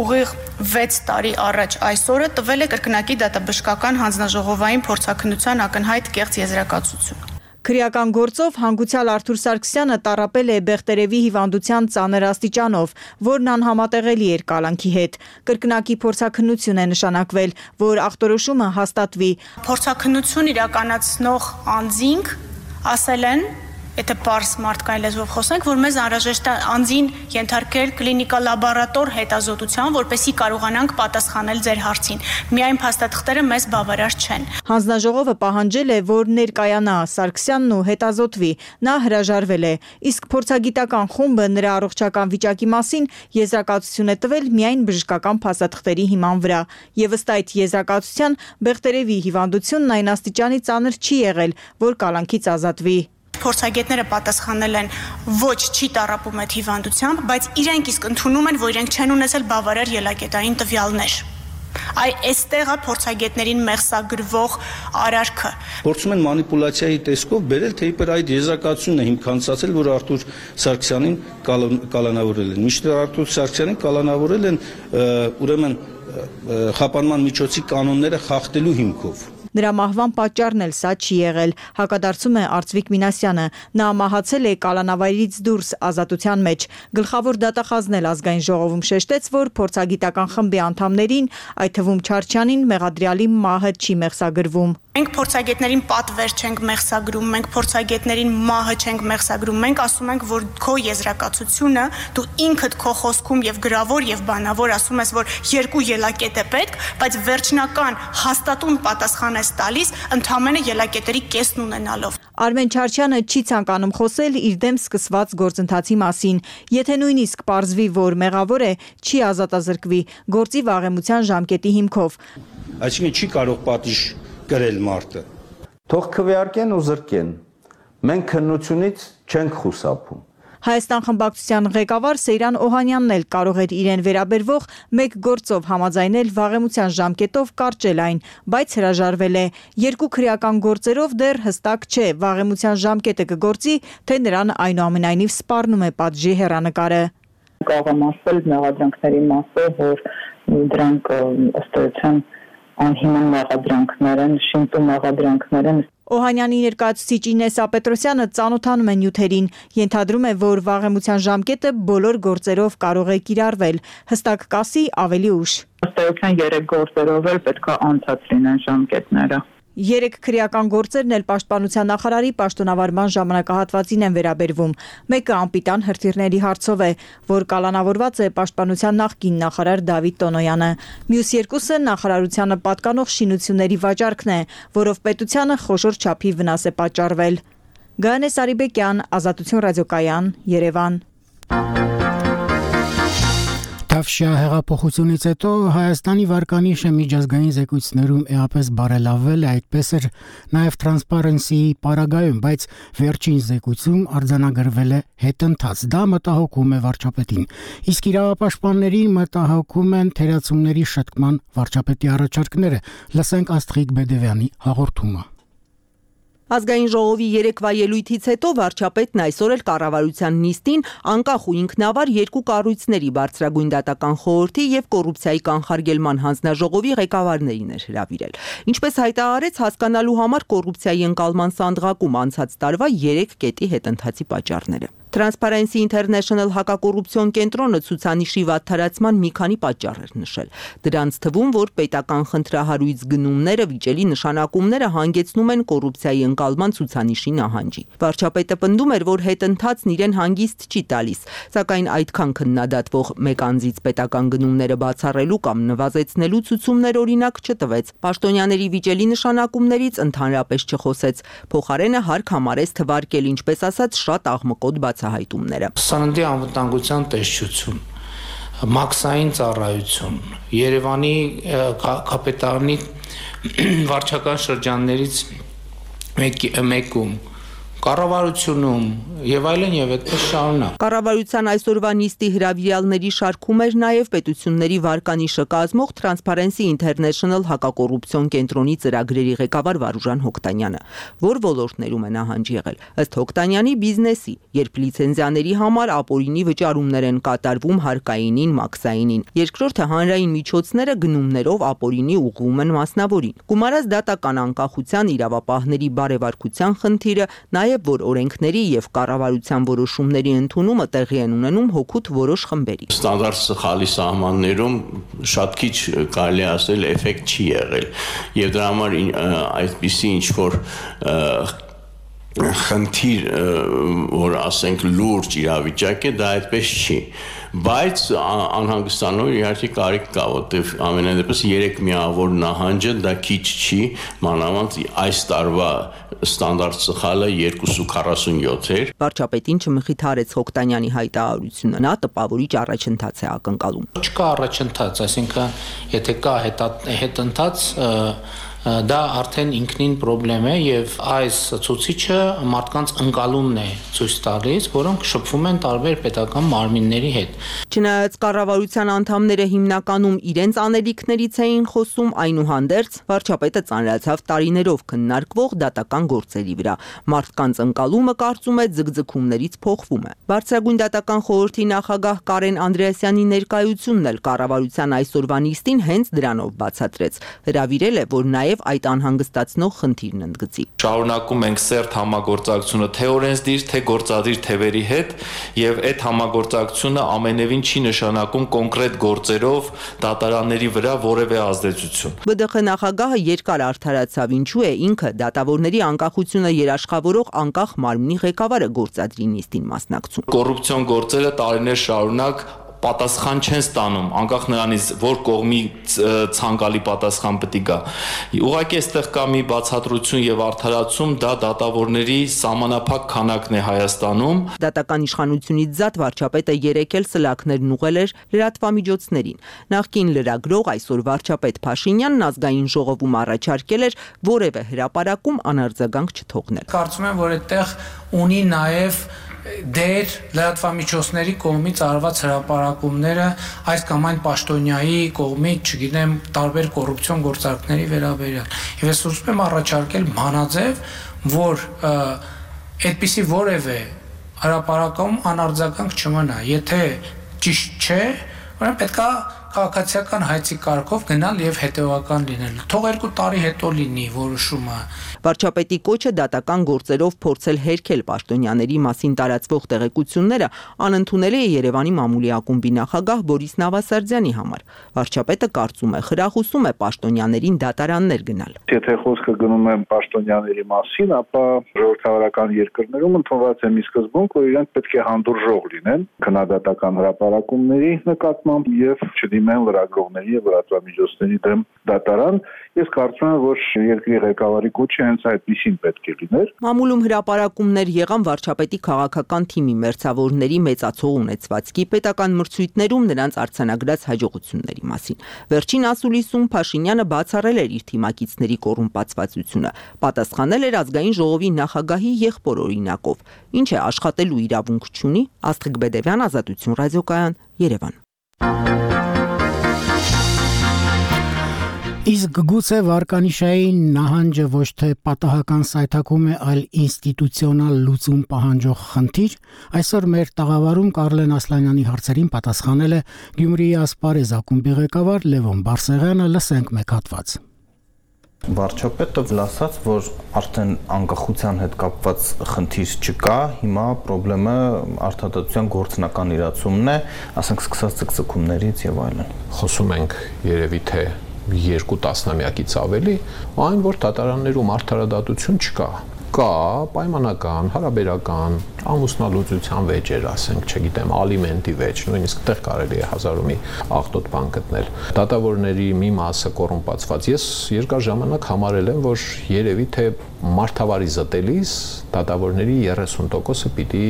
Ուղիղ վեց տարի առաջ այսօրը տվել է կրկնակի դատաբժշկական հանձնաժողովային փորձաքննության ակնհայտ կեղծ եզրակացություն։ Քրեական գործով հանգուցյալ Արթուր Սարգսյանը տառապել է Բեղտերևի հիվանդության ծանր աստիճանով, որն անհամատեղելի էր կալանքի հետ։ Կրկնակի փորձաքննություն է նշանակվել, որ ախտորոշումը հաստատվի։ Փորձաքննություն իրականացնող անձինք ասել են, եթե պարզ մարդկային լեզվով խոսենք, որ մեզ անհրաժեշտ է անձին ենթարկել կլինիկա-լաբորատոր հետազոտության, որպեսզի կարողանանք պատասխանել ձեր հարցին։ Միայն փաստաթղթերը մեզ բավարար չեն։ Հանձնաժողովը պահանջել է, որ ներկայանա Սարգսյանն ու հետազոտվի։ Նա հրաժարվել է, իսկ փորձագիտական խումբը նրա առողջական վիճակի մասին եզրակացություն է տվել միայն բժշկական փաստաթղթերի հիման վրա։ Եվ ըստ այդ եզրակացության Բեղտերևի հիվանդությունն այն աստիճանի ծանր չի եղել, որ կալանքից ազատվի։ Փորձագետները պատասխանել են ոչ չի տառապում այդ հիվանդությամբ, բայց իրենք իսկ ընդունում են, որ իրենք չեն ունեցել բավարար ելակետային տվյալներ։ Այ այստեղ է փորձագետներին մեղսագրվող արարքը։ Փորձում են մանիպուլյացիայի տեսքով բերել, թե իբր այդ եզրակացությունն է հիմքանցածել, որ Արթուր Սարգսյանին կալանավորել են։ Մինչդեռ Արթուր Սարգսյանին կալանավորել են ուրեմն խափանման միջոցի կանոնները խախտելու հիմքով։ Նրա մահվան պատճառն էլ սա չի եղել, հակադարձում է Արծվիկ Մինասյանը։ Նա մահացել է կալանավայրից դուրս ազատության մեջ։ Գլխավոր դատախազն էլ ազգային ժողովում շեշտեց, որ փորձագիտական խմբի անդամներին, այդ թվում Չարչյանին, մեղադրյալի մահը չի մեղսագրվում։ Մենք փորձագետներին պատվեր չենք մեղսագրում, մենք փորձագետներին մահը չենք մեղսագրում, մենք ասում ենք, որ քո եզրակացությունը դու ինքդ քո խոսքում եւ գրավոր եւ բանավոր ասում ես, որ երկու ելակետ է պետք, բայց վերջնական հաստատուն պատասխան ես տալիս ընդամենը ելակետերի կեսն ունենալով։ Արմեն Չարչյանը չի ցանկանում խոսել իր դեմ սկսված գործընթացի մասին։ Եթե նույնիսկ պարզվի, որ մեղավոր է, չի ազատազրկվի գործի վաղեմության ժամկետի հիմքով։ Այսինքն չի կարող պատիժ գրել մարդը։ Թող քվեարկեն ու զրկեն։ Մենք քննությունից չենք խուսափում։ Հայաստան խմբակցության ղեկավար Սեյրան Օհանյանն էլ կարող էր իրեն վերաբերվող մեկ գործով համաձայնել վաղեմության ժամկետով կարճել այն, բայց հրաժարվել է։ Երկու քրեական գործերով դեռ հստակ չէ վաղեմության ժամկետը կգործի, թե նրան այնուամենայնիվ սպառնում է պատժի հեռանկարը։ Կարող եմ ասել մեղադրանքների մասով, որ դրանք ըստ էության անհիմն մեղադրանքներ են, շինտու մեղադրանքներ են։ Օհանյանի ներկայացուցիչ Ինեսա Պետրոսյանը ծանոթանում է նյութերին, ենթադրում է, որ վաղեմության ժամկետը բոլոր գործերով կարող է կիրառվել, հստակ կասի ավելի ուշ։ Ըստ էության երեք գործերով էլ պետք է անցած լինեն ժամկետները։ Երեք քրեական գործերն էլ պաշտպանության նախարարի պաշտոնավարման ժամանակահատվածին են վերաբերվում։ Մեկը անպիտան հրթիռների հարցով է, որ կալանավորված է պաշտպանության նախկին նախարար Դավիթ Տոնոյանը։ Մյուս երկուսը նախարարությանը պատկանող շինությունների վաճառքն է, որով պետությանը խոշոր չափի վնաս է պատճառվել։ Գայանե Սարիբեկյան, Ազատություն ռադիոկայան, Երևան։ Թավշյա հեղափոխությունից հետո Հայաստանի վարկանիշը միջազգային զեկույցներում էապես բարելավվել է, այդպես էր նաև Transparency-ի պարագայում, բայց վերջին զեկույցում արձանագրվել է հետընթաց։ Դա մտահոգում է վարչապետին։ Իսկ իրավապաշտպաններին մտահոգում են թերացումների շտկման վարչապետի առաջարկները։ Լսենք Աստղիկ Բեդևյանի հաղորդումը։ Ազգային ժողովի երեկվա ելույթից հետո վարչապետն այսօր էլ կառավարության նիստին անկախ ու ինքնավար երկու կառույցների բարձրագույն դատական խորհրդի եւ կոռուպցիայի կանխարգելման հանձնաժողովի ղեկավարներին էր հրավիրել։ Ինչպես հայտարարեց, հասկանալու համար կոռուպցիայի ընկալման սանդղակում անցած տարվա երեք կետի հետընթացի պատճառները։ Transparency International հակակոռուպցիոն կենտրոնը ցուցանիշի վատթարացման մի քանի պատճառ էր նշել։ Դրանց թվում, որ պետական խնդրահարույց գնումները վիճելի նշանակումները հանգեցնում են կոռուպցիայի ընկալման ցուցանիշի նահանջի։ Վարչապետը պնդում էր, որ հետընթացն իրեն հանգիստ չի տալիս, սակայն այդքան քննադատվող մեկ անձից պետական գնումները բացառելու կամ նվազեցնելու ցուցումներ օրինակ չտվեց։ Պաշտոնյաների վիճելի նշանակումներից ընդհանրապես չխոսեց։ Փոխարենը հարկ համարեց թվարկել, ինչպես ասած, շատ աղմկոտ բացահայտումները։ Սննդի անվտանգության տեսչություն, մաքսային ծառայություն, Երևանի կապիտալի վարչական շրջաններից մեկում, կառավարությունում եւ այլն եւ այդպես շարունակ։ Կառավարության այսօրվա նիստի հրավիրյալների շարքում էր նաեւ պետությունների վարկանիշը կազմող Transparency International հակակոռուպցիոն կենտրոնի ծրագրերի ղեկավար Վարուժան Հոկտանյանը, որ ոլորտներում է նահանջ եղել։ Ըստ Հոկտանյանի բիզնեսի, երբ լիցենզիաների համար ապօրինի վճարումներ են կատարվում հարկայինին, մաքսայինին, երկրորդը հանրային միջոցները գնումներով ապօրինի ուղղվում են մասնավորին։ Գումարած դատական անկախության, իրավապահների բարեվարկության խնդիրը, նաև որ օրենքների եւ կառավարության որոշումների ընդունումը տեղի են ունենում հօգուտ որոշ խմբերի։ Ստանդարտ սխալի սահմաններում շատ քիչ կարելի ասել էֆեկտ չի եղել եւ դրա համար այդպիսի ինչ որ խնդիր, որ ասենք լուրջ իրավիճակ է, դա այդպես չի, բայց անհանգստանալու իհարկե կարիք կա, որտեղ ամենայն դեպս երեք միավոր նահանջը դա քիչ չի, մանավանդ այս տարվա ստանդարտ սխալը երկուս ու քառասունյոթ էր։ Վարչապետին չմխիթարեց Հոկտանյանի հայտարարությունը, նա տպավորիչ առաջընթաց է ակնկալում։ Չկա առաջընթաց, այսինքն եթե կա հետընթաց, դա արդեն ինքնին խնդրեմ է եւ այս ցուցիչը մարդկանց ընկալումն է ցույց տալիս, որոնք շփվում են տարբեր պետական մարմինների հետ։ Չնայած կառավարության անդամները հիմնականում իրենց անելիքներից էին խոսում, այնուհանդերձ վարչապետը ծանրացավ տարիներով քննարկվող դատական գործերի վրա։ Մարդկանց ընկալումը, կարծում է, ձգձգումներից փոխվում է։ Բարձրագույն դատական խորհրդի նախագահ Կարեն Անդրեասյանի ներկայությունն էլ կառավարության այսօրվա նիստին հենց դրանով բացատրեց։ Հրավիրել է, որ նաեւ այդ անհանգստացնող խնդիրն ընդգծի։ Շարունակում ենք սերտ համագործակցությունը թե օրենսդիր, թե գործադիր թևերի հետ եւ այդ համագործակցությունը ամենևին չի նշանակում կոնկրետ գործերով դատարանների վրա որևէ ազդեցություն։ Բ Դ Խ նախագահը երկար արդարացավ, ինչու է ինքը դատավորների անկախությունը երաշխավորող անկախ մարմնի ղեկավարը գործադրի նիստին մասնակցում։ Կոռուպցիոն գործերը տարիներ շարունակ պատասխան չեն ստանում, անկախ նրանից, որ կողմի ցանկալի պատասխան պետք է գա։ Ուղղակի այստեղ կա մի բացատրություն եւ արդարացում, դա դատավորների սահմանափակ քանակն է Հայաստանում։ Դատական իշխանությունից զատ վարչապետը երեկ էլ սլաքներն ուղղել էր լրատվամիջոցներին։ Նախկին լրագրող այսօր վարչապետ Փաշինյանն ազգային ժողովում առաջարկել էր որևէ հրապարակում անարձագանք չթողնել։ Կարծում եմ, որ այդտեղ ունի նաեւ դեր լրատվամիջոցների կողմից արված հրապարակումները այս կամ այն պաշտոնյայի կողմից, չգիտեմ, տարբեր կոռուպցիոն գործարքների վերաբերյալ։ Եվ ես ուզում եմ առաջարկել մանաձև, որ այդպիսի որևէ հրապարակում անարձագանք չմնա։ Եթե ճիշտ չէ, ուրեմն պետք է քաղաքացիական հայցի կարգով գնալ եւ հետեւական լինել։ Թող երկու տարի հետո լինի որոշումը։ Վարչապետի կոչը դատական գործերով փորձել հերքել պաշտոնյաների մասին տարածվող տեղեկությունները անընդունել է Երևանի մամուլի ակումբի նախագահ Բորիս Նավասարդյանի համար։ Վարչապետը կարծում է, խրախուսում է պաշտոնյաներին դատարաններ գնալ։ Եթե խոսքը գնում է պաշտոնյաների մասին, ապա ժողովրդավարական երկրներում ընդունված է մի սկզբունք, որ իրենք պետք է հանդուրժող լինեն քննադատական հրապարակումների նկատմամբ եւ չդիմեն լրագրողների եւ լրատվամիջոցների դեմ դատարան։ Ես կարծում եմ, որ երկրի ղեկավարի կոչը հենց այդպեսին պետք է լիներ։ Մամուլում հրապարակումներ եղան վարչապետի քաղաքական թիմի մերձավորների մեծացող ունեցվածքի, պետական մրցույթներում նրանց արձանագրած հաջողությունների մասին։ Վերջին ասուլիսում Փաշինյանը բացառել էր իր թիմակիցների կոռումպացվածությունը, պատասխանել էր ազգային ժողովի նախագահի եղբոր օրինակով, ինչ է աշխատելու իրավունք չունի։ Աստղիկ Բեդևյան, Ազատություն ռադիոկայան, Երևան։ Իսկ գուցե վարկանիշային նահանջը ոչ թե պատահական սայթակում է, այլ ինստիտուցիոնալ լուծում պահանջող խնդիր։ Այսօր մեր տաղավարում Կարլեն Ասլանյանի հարցերին պատասխանել է Գյումրիի Ասպարեզ ակումբի ղեկավար Լևոն Բարսեղյանը, լսենք մեկ հատված։ Վարչապետը ասաց, որ արդեն անկախության հետ կապված խնդիր չկա, հիմա խնդրեմը արդարադատության գործնական իրացումն է, ասենք սկսած ցկցկումներից եւ այլն։ Խոսում ենք երևի թե երկու տասնամյակից ավելի, այն որ դատարաններում արդարադատություն չկա։ Կա պայմանական, հարաբերական, ամուսնալուծության վեճեր, ասենք, չգիտեմ, ալիմենտի վեճ, նույնիսկ այդտեղ կարելի է հազար ու մի աղտոտ բան գտնել։ Դատավորների մի մասը կոռումպացված։ Ես երկար ժամանակ համարել եմ, որ երևի թե մարդավարի զտելիս դատավորների երեսուն տոկոսը պիտի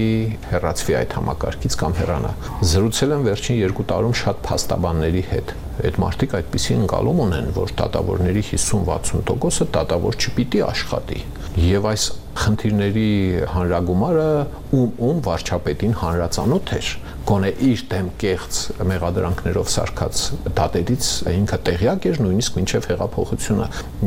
հեռացվի այդ համակարգից կամ հեռանա։ Զրուցել եմ վերջին երկու տարում շատ փաստաբանների հետ։ Այդ մարդիկ այդպիսի ընկալում ունեն, որ դատավորների հիսուն-վաթսուն տոկոսը դատավոր չպիտի աշխատի։ Եվ այս խնդիրների հանրագումարը ում ում վարչապետին հանրացանոթ էր, գոնե իր դեմ կեղծ մեղադրանքներով սարքած դատերից ինքը տեղյակ էր նույնիսկ մինչև հեղափոխությունը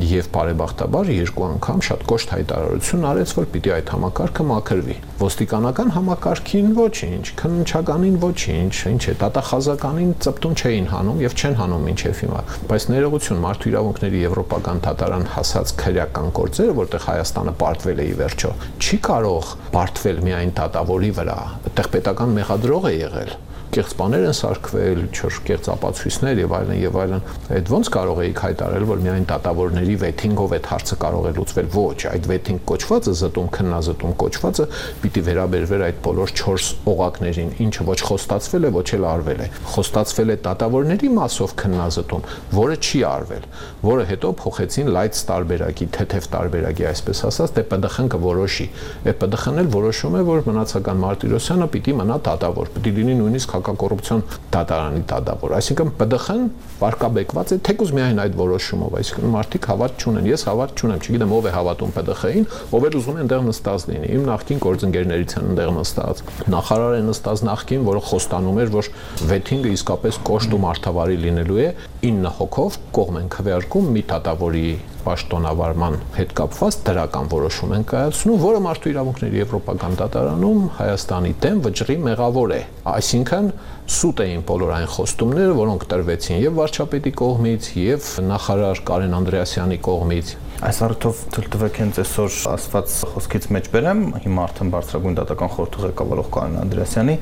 եւ բարեբախտաբար երկու անգամ շատ կոշտ հայտարարություն արեց, որ պիտի այդ համակարգը մաքրվի։ Ոստիկանական համակարգին ոչինչ, քննչականին ոչինչ, ինչ է, դատախազականին ծպտուն չէին հանում եւ չեն հանում մինչև հիմա։ Բայց ներողություն, մարդու իրավունքների եվրոպական դատարան հասած քրեական գործերը, որտեղ Հայաստանը պարտվել է ի վերջո, չի կարող պարտվել միայն դատավորի վրա, այդտեղ պետական մեղադրող է եղել։ Կեղծ բաներ են սարքվել, չոր կեղծ ապացույցներ եւ այլն եւ այլն։ Այդ ոնց կարող էիք հայտարարել, որ միայն դատավորների վեթինգով այդ հարցը կարող է լուծվել։ Ոչ, այդ վեթինգ կոչվածը, զտում քննազտում կոչվածը պիտի վերաբերվեր այդ բոլոր չորս օղակներին, ինչը ոչ խոստացվել է, ոչ էլ արվել է։ Խոստացվել է դատավորների մասով քննազտում, որը չի արվել, որը հետո փոխեցին լայց տարբերակի, թեթև տարբերակի, այսպես ասած, դե ՊԴԽ-ն կորոշի։ Է ՊԴԽ-ն էլ որոշում է, որ մնացական Մարտիրոսյանը պիտի մնա դատավոր, պիտի լինի նույնիսկ հակակոռուպցիոն դատարանի դատավոր, այսինքն ՊԴԽ-ն վարկաբեկված է թեկուզ միայն այդ որոշումով, այսինքն մարդիկ հավատ չունեն, ես հավատ չունեմ, չգիտեմ ով է հավատում ՊԴԽ-ին, ով էլ ուզում է այնտեղ նստած լինի։ Իմ նախկին գործընկերներից են այնտեղ նստած, նախարար է նստած նախկին, որը խոստանում էր, որ վեթինգը իսկապես կոշտ ու մարդավարի լինելու է, ինը հոգով կողմ են քվեարկում մի դատավորի պաշտոնավարման հետ կապված դրական որոշում են կայացնում, որը մարդու իրավունքների եվրոպական դատարանում Հայաստանի դեմ վճռի մեղավոր է։ Այսինքն սուտ էին բոլոր այն խոստումները, որոնք տրվեցին եւ վարչապետի կողմից, եւ նախարար Կարեն Անդրեասյանի կողմից։ Այս առիթով թույլ տվեք հենց այսօր ասված խոսքից մեջ բերեմ, հիմա արդեն բարձրագույն դատական խորհրդի ղեկավարող Կարեն Անդրեասյանի,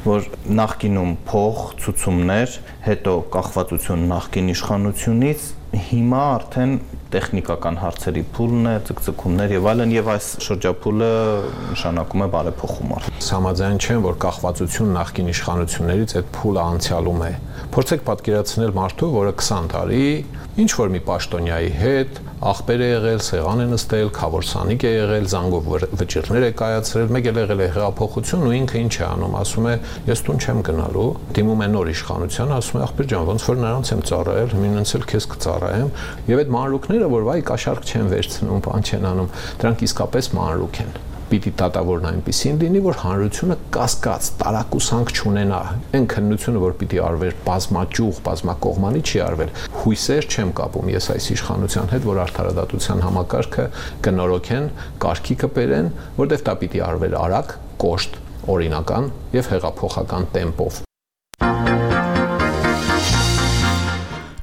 որ նախկինում փող, ցուցումներ, հետո կախվածություն նախկին իշխանությունից, հիմա արդեն տեխնիկական հարցերի փուլն է, ցկցկումներ եւ այլն, եւ այս շրջափուլը նշանակում է բարեփոխում։ Համաձայն չեմ, որ կախվածություն նախկին իշխանություններից այդ փուլը անցյալում է։ Փորձեք պատկերացնել մարդու, որը քսան տարի ինչ որ մի պաշտոնյայի հետ ախպեր է եղել, սեղան է նստել, քավորսանիկ է եղել, զանգով վճիռներ է կայացրել, մեկ էլ եղել է հեղափոխություն ու ինքը ինչ է անում, ասում է ես տուն չեմ գնալու, դիմում է նոր իշխանության, ասում է ախպեր ջան, ոնց որ նրանց եմ ծառայել, ինձ էլ քեզ կծառայեմ, եւ այդ մանրուքները, որ վայ կաշառք չեն վերցնում, բան չեն անում, դրանք իսկապես մանրուք են։ Պիտի դատավորն այնպեսին լինի, որ հանրությունը կասկած, տարակուսանք չունենա։ Այն քննությունը, որ պիտի արվեր բազմաճյուղ, բազմակողմանի չի արվել։ Հույսեր չեմ կապում ես այս իշխանության հետ, որ արդարադատության համակարգը կնորոգեն, կարգի կբերեն, որտեղ դա պիտի արվեր արագ, կոշտ, օրինական եւ հեղափոխական տեմպով։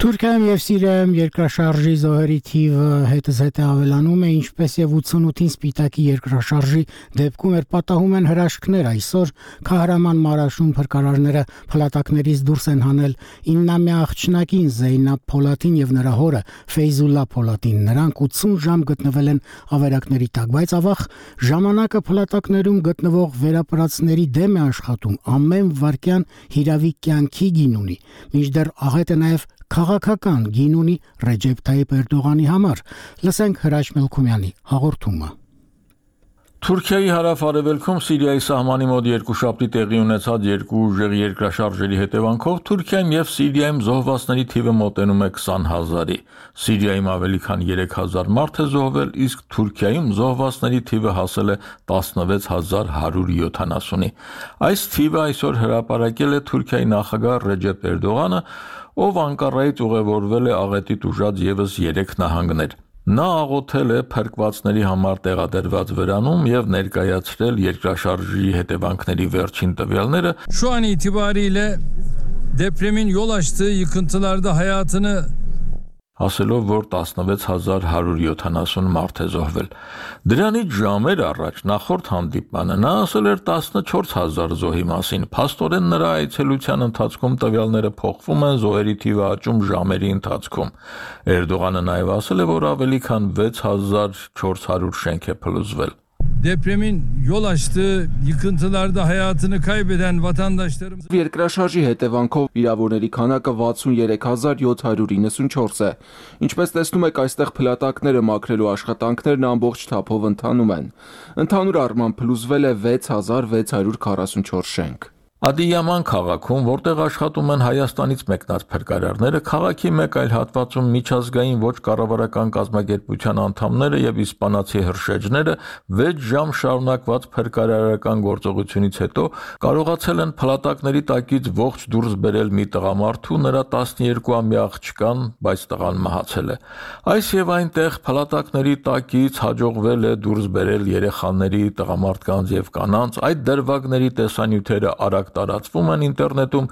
Թուրքիայում եւ Սիրիայում երկրաշարժի զոհերի թիվը հետզհետե ավելանում է, ինչպես եւ ութսունութին Սպիտակի երկրաշարժի դեպքում էր պատահում են հրաշքներ այսօր Քահրաման Մարաշում փրկարարները փլատակներից դուրս են հանել իննամյա աղջնակին Զեյնաբ Փոլատին եւ նրա հորը Ֆեյզուլլա Փոլատին։ Նրանք ութսուն ժամ գտնվել են ավերակների տակ, բայց ավաղ ժամանակը փլատակներում գտնվող վերապրածների դեմ է աշխատում, ամեն վարքյան հիրավի կյանքի գին ունի, մինչդեռ աղետը նաեւ քաղաքական գին ունի Ռեջեփ Թայիփ Էրդողանի համար։ Լսենք Հրաչ Մելքումյանի հաղորդումը։ Թուրքիայի հարավ-արևելքում Սիրիայի սահմանի մոտ երկուշաբթի տեղի ունեցած երկու ուժեղ երկրաշարժերի հետևանքով Թուրքիայում եւ Սիրիայում զոհվածների թիվը մոտենում է քսան հազարի։ Սիրիայում ավելի քան երեք հազար մարդ է զոհվել, իսկ Թուրքիայում զոհվածների թիվը հասել է տասնվեց հազար հարյուր յոթանասունի։ Այս թիվը այսօր հրապարակել է Թուրքիայի նախագահ Ռեջեփ Էրդողանը, ով Անկարայից ուղևորվել է աղետի տուժած եւս երեք նահանգներ։ Նա աղոթել է փրկվածների համար տեղադրված վրանում եւ ներկայացրել երկրաշարժի հետևանքների վերջին տվյալները։ Şu an itibariyle depremin yol açtığı yıkıntılarda hayatını ասելով, որ տասնվեց հազար հարյուր յոթանասուն մարդ է զոհվել։ Դրանից ժամեր առաջ նախորդ հանդիպմանը նա ասել էր տասնչորս հազար զոհի մասին։ Փաստորեն նրա այցելության ընթացքում տվյալները փոխվում են, զոհերի թիվը աճում ժամերի ընթացքում։ Էրդողանը նաև ասել է, որ ավելի քան վեց հազար չորս հարյուր շենք է փլուզվել։ Depremin yol açtığı yıkıntılarda hayatını kaybeden vatandaşlarımız Երկրաշարժի հետևանքով վիրավորների քանակը վաթսուններեք հազար յոթ հարյուր իննսունչորս է։ Ինչպես տեսնում եք, այստեղ փլատակները մաքրելու աշխատանքներն ամբողջ թափով ընթանում են։ Ընդհանուր առմամբ փլուզվել է վեց հազար վեց հարյուր քառասունչորս շենք։ Ադիյաման քաղաքում, որտեղ աշխատում են Հայաստանից մեկնած փրկարարները, քաղաքի մեկ այլ հատվածում միջազգային ոչ կառավարական կազմակերպության անդամները եւ իսպանացի հրշեջները վեց ժամ շարունակված փրկարարական գործողությունից հետո կարողացել են փլատակների տակից ողջ դուրս բերել մի տղամարդու, նրա տասնյոթ-ամյա աղջկան, բայց տղան մահացել է։ Այս եւ այնտեղ փլատակների տակից հաջողվել է դուրս բերել երեխաների, տղամարդկանց եւ կանանց, այդ դրվագների տեսանյութերը արագ տարածվում են ինտերնետում,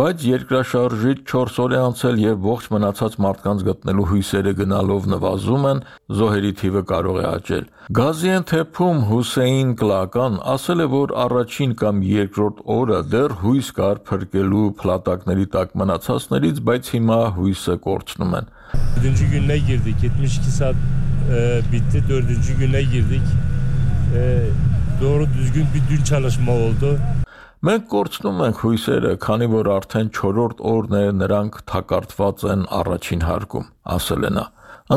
բայց երկրաշարժից չորս օր է անցել եւ ողջ մնացած մարդկանց գտնելու հույսերը գնալով նվազում են, զոհերի թիվը կարող է աճել։ Գազիանթեփում Հուսեյն Կլական ասել է, որ առաջին կամ երկրորդ օրը դեռ հույս կար փրկելու փլատակների տակ մնացածներից, բայց հիմա հույսը կորցնում են։ Dördüncü gününe girdik. yetmiş iki saat e, bitti. Dördüncü güne girdik. E, doğru düzgün bir dün çalışma oldu. Մենք կորցնում ենք հույսերը, քանի որ արդեն չորրորդ օրն է նրանք թակարդված են առաջին հարկում, ասել է նա։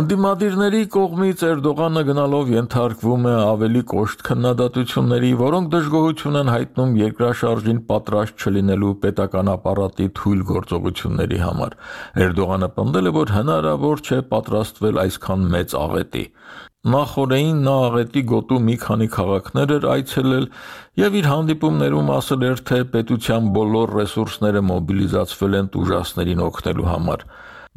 Անդիմադիրների կողմից Էրդողանը գնալով ենթարկվում է ավելի կոշտ քննադատությունների, որոնք դժգոհություն են հայտնում երկրաշարժին պատրաստ չլինելու պետական ապարատի թույլ գործողությունների համար։ Էրդողանը պնդել է, որ հնարավոր չէ պատրաստվել այսքան մեծ աղետի։ Նախորդին նա աղետի գոտու մի քանի քաղաքներ էր այցելել եւ իր հանդիպումներում ասել էր, թե պետության բոլոր ռեսուրսները մոբիլիզացվել են տուժածներին օգնելու համար։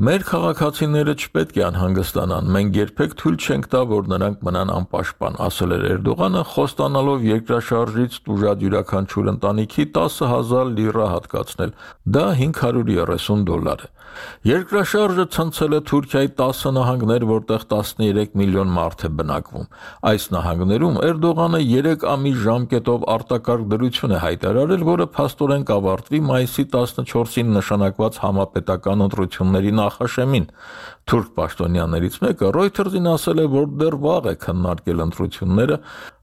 Մեր քաղաքացիները չպետք է անհանգստանան, մենք երբեք թույլ չենք տա, որ նրանք մնան անպաշտպան, ասել էր Էրդողանը, խոստանալով երկրաշարժից տուժած յուրաքանչյուր ընտանիքի տասը հազար լիրա հատկացնել, դա հինգ հարյուր երեսուն դոլար է։ Երկրաշարժը ցնցել է Թուրքիայի տասը նահանգներ, որտեղ տասնյոթ միլիոն մարդ է բնակվում։ Այս նահանգներում Էրդողանը երեք ամիս ժամկետով արտակարգ դրություն է հայտարարել, որը փաստորեն կավարտվի մայիսի տասնչորսին նշանակված համապետական ընտրությունների նախաշեմին։ Թուրք պաշտոնյաներից մեկը Reuters-ին ասել է, որ դեռ վաղ է քննարկել ընտրությունները,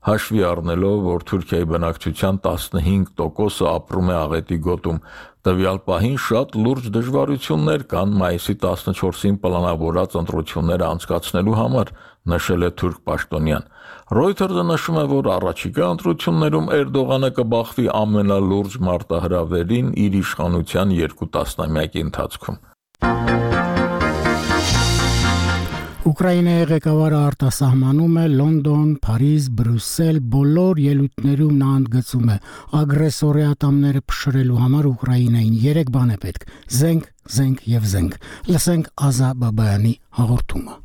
հաշվի առնելով, որ Թուրքիայի բնակչության տասնհինգ տոկոսը ապրում է աղետի գոտում։ Տվյալ պահին շատ լուրջ դժվարություններ կան մայիսի տասնչորսին պլանավորած ընտրությունները անցկացնելու համար, նշել է թուրք պաշտոնյան։ Reuters-ը նշում է, որ առաջիկա ընտրություններում Էրդողանը կբախվի ամենալուրջ մարտահրավերին իր իշխանության երկու տասնամյակի ընթացքում։ Ուկրաինայի ղեկավարը արտասահմանում է Լոնդոն, Փարիզ, Բրյուսել բոլոր ելույթներում նա ընդգծում է ագրեսորի ատամները փշրելու համար Ուկրաինային երեք բան է պետք՝ զենք, զենք եւ զենք։ Լսենք Ազա Բաբայանի հաղորդումը։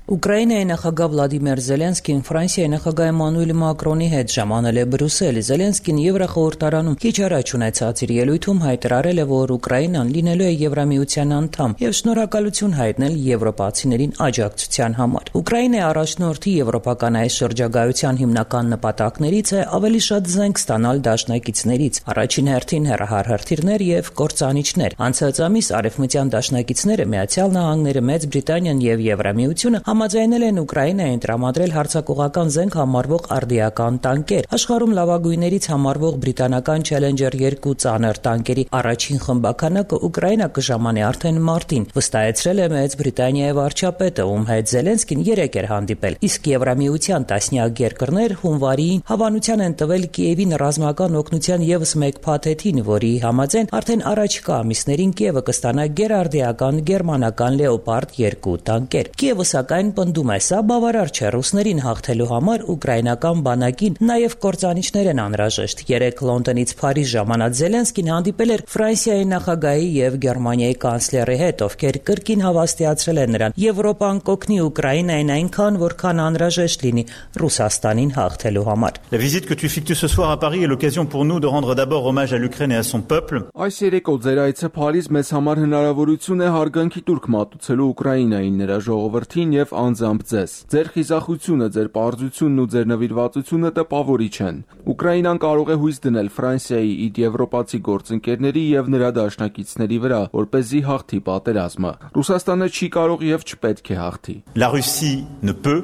Ուկրաինայի նախագահ Վլադիմիր Զելենսկին Ֆրանսիայի նախագահ Էմանուել Մակրոնի հետ ժամանել է Բրյուսել։ Զելենսկին Եվրախորհրդարանում քիչ առաջ ունեցած իր ելույթում հայտարարել է, որ Ուկրաինան լինելու է Եվրամիության անդամ եւ շնորհակալություն հայտնել եվրոպացիներին աջակցության համար։ Ուկրաինայի առաջնորդի եվրոպական այս շրջագայության հիմնական նպատակներից է ավելի շատ զենք ստանալ դաշնակիցներից, առաջին հերթին հեռահարհրթիռներ եւ կործանիչներ։ Անցած ամիս արևմտյան դաշնակիցները Միացյալ Նահանգները, Մեծ Բրիտանիան եւ Եվրամիությունը համաձայնել են Ուկրաինային տրամադրել հարձակողական զենք համարվող արդիական տանկեր։ Աշխարհում լավագույններից համարվող բրիտանական Challenger երկու ծանր տանկերի առաջին խմբականակը Ուկրաինա կժամանի արդեն մարտին, վստահեցրել է Մեծ Բրիտանիայի վարչապետը, ում հետ Զելենսկին երեկ էր հանդիպել։ Իսկ Եվրամիության տասնյակ երկրներ հունվարին հավանության են տվել Կիևին ռազմական օգնության եւս մեկ փաթեթին, որի համաձայն արդեն առաջիկա ամիսներին Կիևը կստանա գերարդիական գերմանական Լեոպարդ երկու տանկեր։ Կիևը սակայն պնդում է, սա բավարար չէ ռուսներին հաղթելու համար ուկրաինական բանակին նաև կործանիչներ են անհրաժեշտ։ Երեկ Լոնդոնից Փարիզ ժամանած Զելենսկին հանդիպել էր Ֆրանսիայի նախագահի եւ Գերմանիայի կանցլերի հետ, ովքեր կրկին հավաստիացրել են նրան Եվրոպան կօգնի Ուկրաինային այնքան, որքան անհրաժեշտ լինի Ռուսաստանին հաղթելու համար։ La visite que tu effectues ce soir à Paris est l'occasion pour nous de rendre d'abord hommage à l'Ukraine et à son peuple. Այս երեկո ձեր այցը Փարիզ մեզ համար հնարավորություն է հարգանքի տուրք մատուցելու Ուկրաինային, նրա ժողովրդին եւ անձամբ ձեզ։ Ձեր խիզախությունը, ձեր պարզությունն ու ձեր նվիրվածությունը տպավորիչ են։ Ուկրաինան կարող է հույս դնել Ֆրանսիայի իր եվրոպացի գործընկերների եւ նրա դաշնակիցների վրա, որպեսզի հաղթի պատերազմը։ Ռուսաստանը չի կարող եւ չպետք է հաղթի։ La Russie ne peut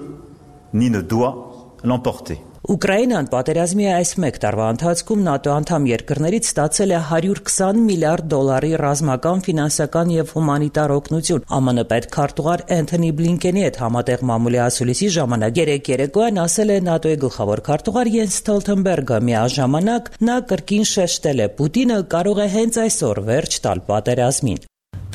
ni ne doit l'emporter. Ուկրաինան պատերազմի այս մեկ տարվա ընթացքում ՆԱՏՕ անդամ երկրներից ստացել է հարյուր քսան միլիարդ դոլարի ռազմական, ֆինանսական եւ հումանիտար օգնություն։ ԱՄՆ պետքարտուղար Էնթոնի Բլինկենի հետ համատեղ մամուլի ասուլիսի ժամանակ երեկ երեկոյան ասել է ՆԱՏՕ-ի գլխավոր քարտուղար Յենս Ստոլթենբերգը։ Միաժամանակ նա կրկին շեշտել է՝ Պուտինը կարող է հենց այսօր վերջ տալ պատերազմին։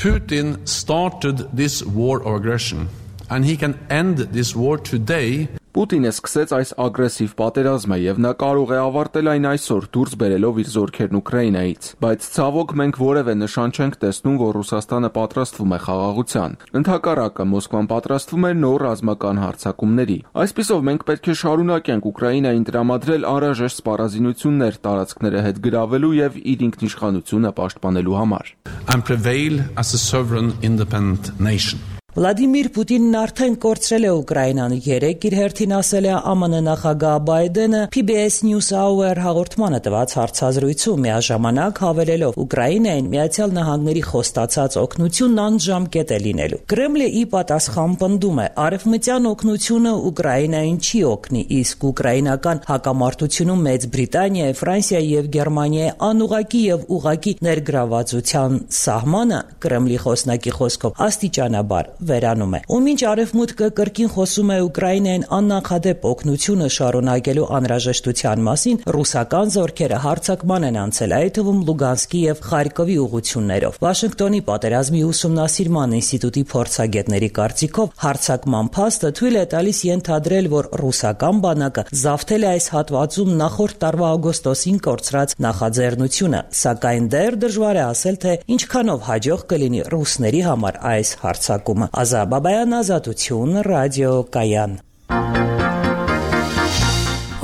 Putin started this war of aggression and he can end this war today. Պուտինը սկսեց այս ագրեսիվ պատերազմը եւ նա կարող է ավարտել այն այսօր դուրս բերելով իր զորքերն Ուկրաինայից, բայց ցավոք մենք որևէ նշան չենք տեսնում, որ Ռուսաստանը պատրաստվում է խաղաղության։ Ընդհակառակը Մոսկվան պատրաստվում է նոր ռազմական հարձակումների։ Այսպիսով մենք պետք է շարունակենք Ուկրաինային տրամադրել անհրաժեշտ սպառազինություններ տարածքները հետ գրավելու եւ իր ինքնիշխանությունը պաշտպանելու համար։ And prevail as a sovereign independent nation. Վլադիմիր Պուտինն արդեն կորցրել է Ուկրաինան։ Երեկ իր հերթին ասել է ԱՄՆ նախագահ Բայդենը P B S News Hour հաղորդմանը տված հարցազրույցում, միաժամանակ հավելելով Ուկրաինային Միացյալ Նահանգների խոստացած օգնությունն անժամկետ է լինելու։ Կրեմլը ի պատասխան պնդում է, արևմտյան օգնությունը Ուկրաինային չի օգնի, իսկ ուկրաինական հակամարտությունում Մեծ Բրիտանիայի, Ֆրանսիայի եւ Գերմանիայի անուղակի եւ ուղակի ներգրավվածության սահմանը Կրեմլի խոսնակի խոսքով աստիճանաբար վերանում է։ Ու մինչ արևմուտքը կրկին խոսում է Ուկրաինային աննախադեպ օգնությունը շարունակելու անհրաժեշտության մասին, ռուսական զորքերը հարձակման են անցել, այդ թվում Լուգանսկի եւ Խարկովի ուղություններով։ Վաշինգտոնի պատերազմի ուսումնասիրման ինստիտուտի փորձագետների կարծիքով հարձակման փաստը թույլ է տալիս ենթադրել, որ ռուսական բանակը զավթել է այս հատվածում նախորդ տարվա օգոստոսին կորցրած նախաձեռնությունը, սակայն դեռ դժվար է ասել, թե ինչքանով հաջող կլինի ռուսների համար այս հարձակումը։ Ազա Բաբայան, Ազատություն, Ռադիո Կայան։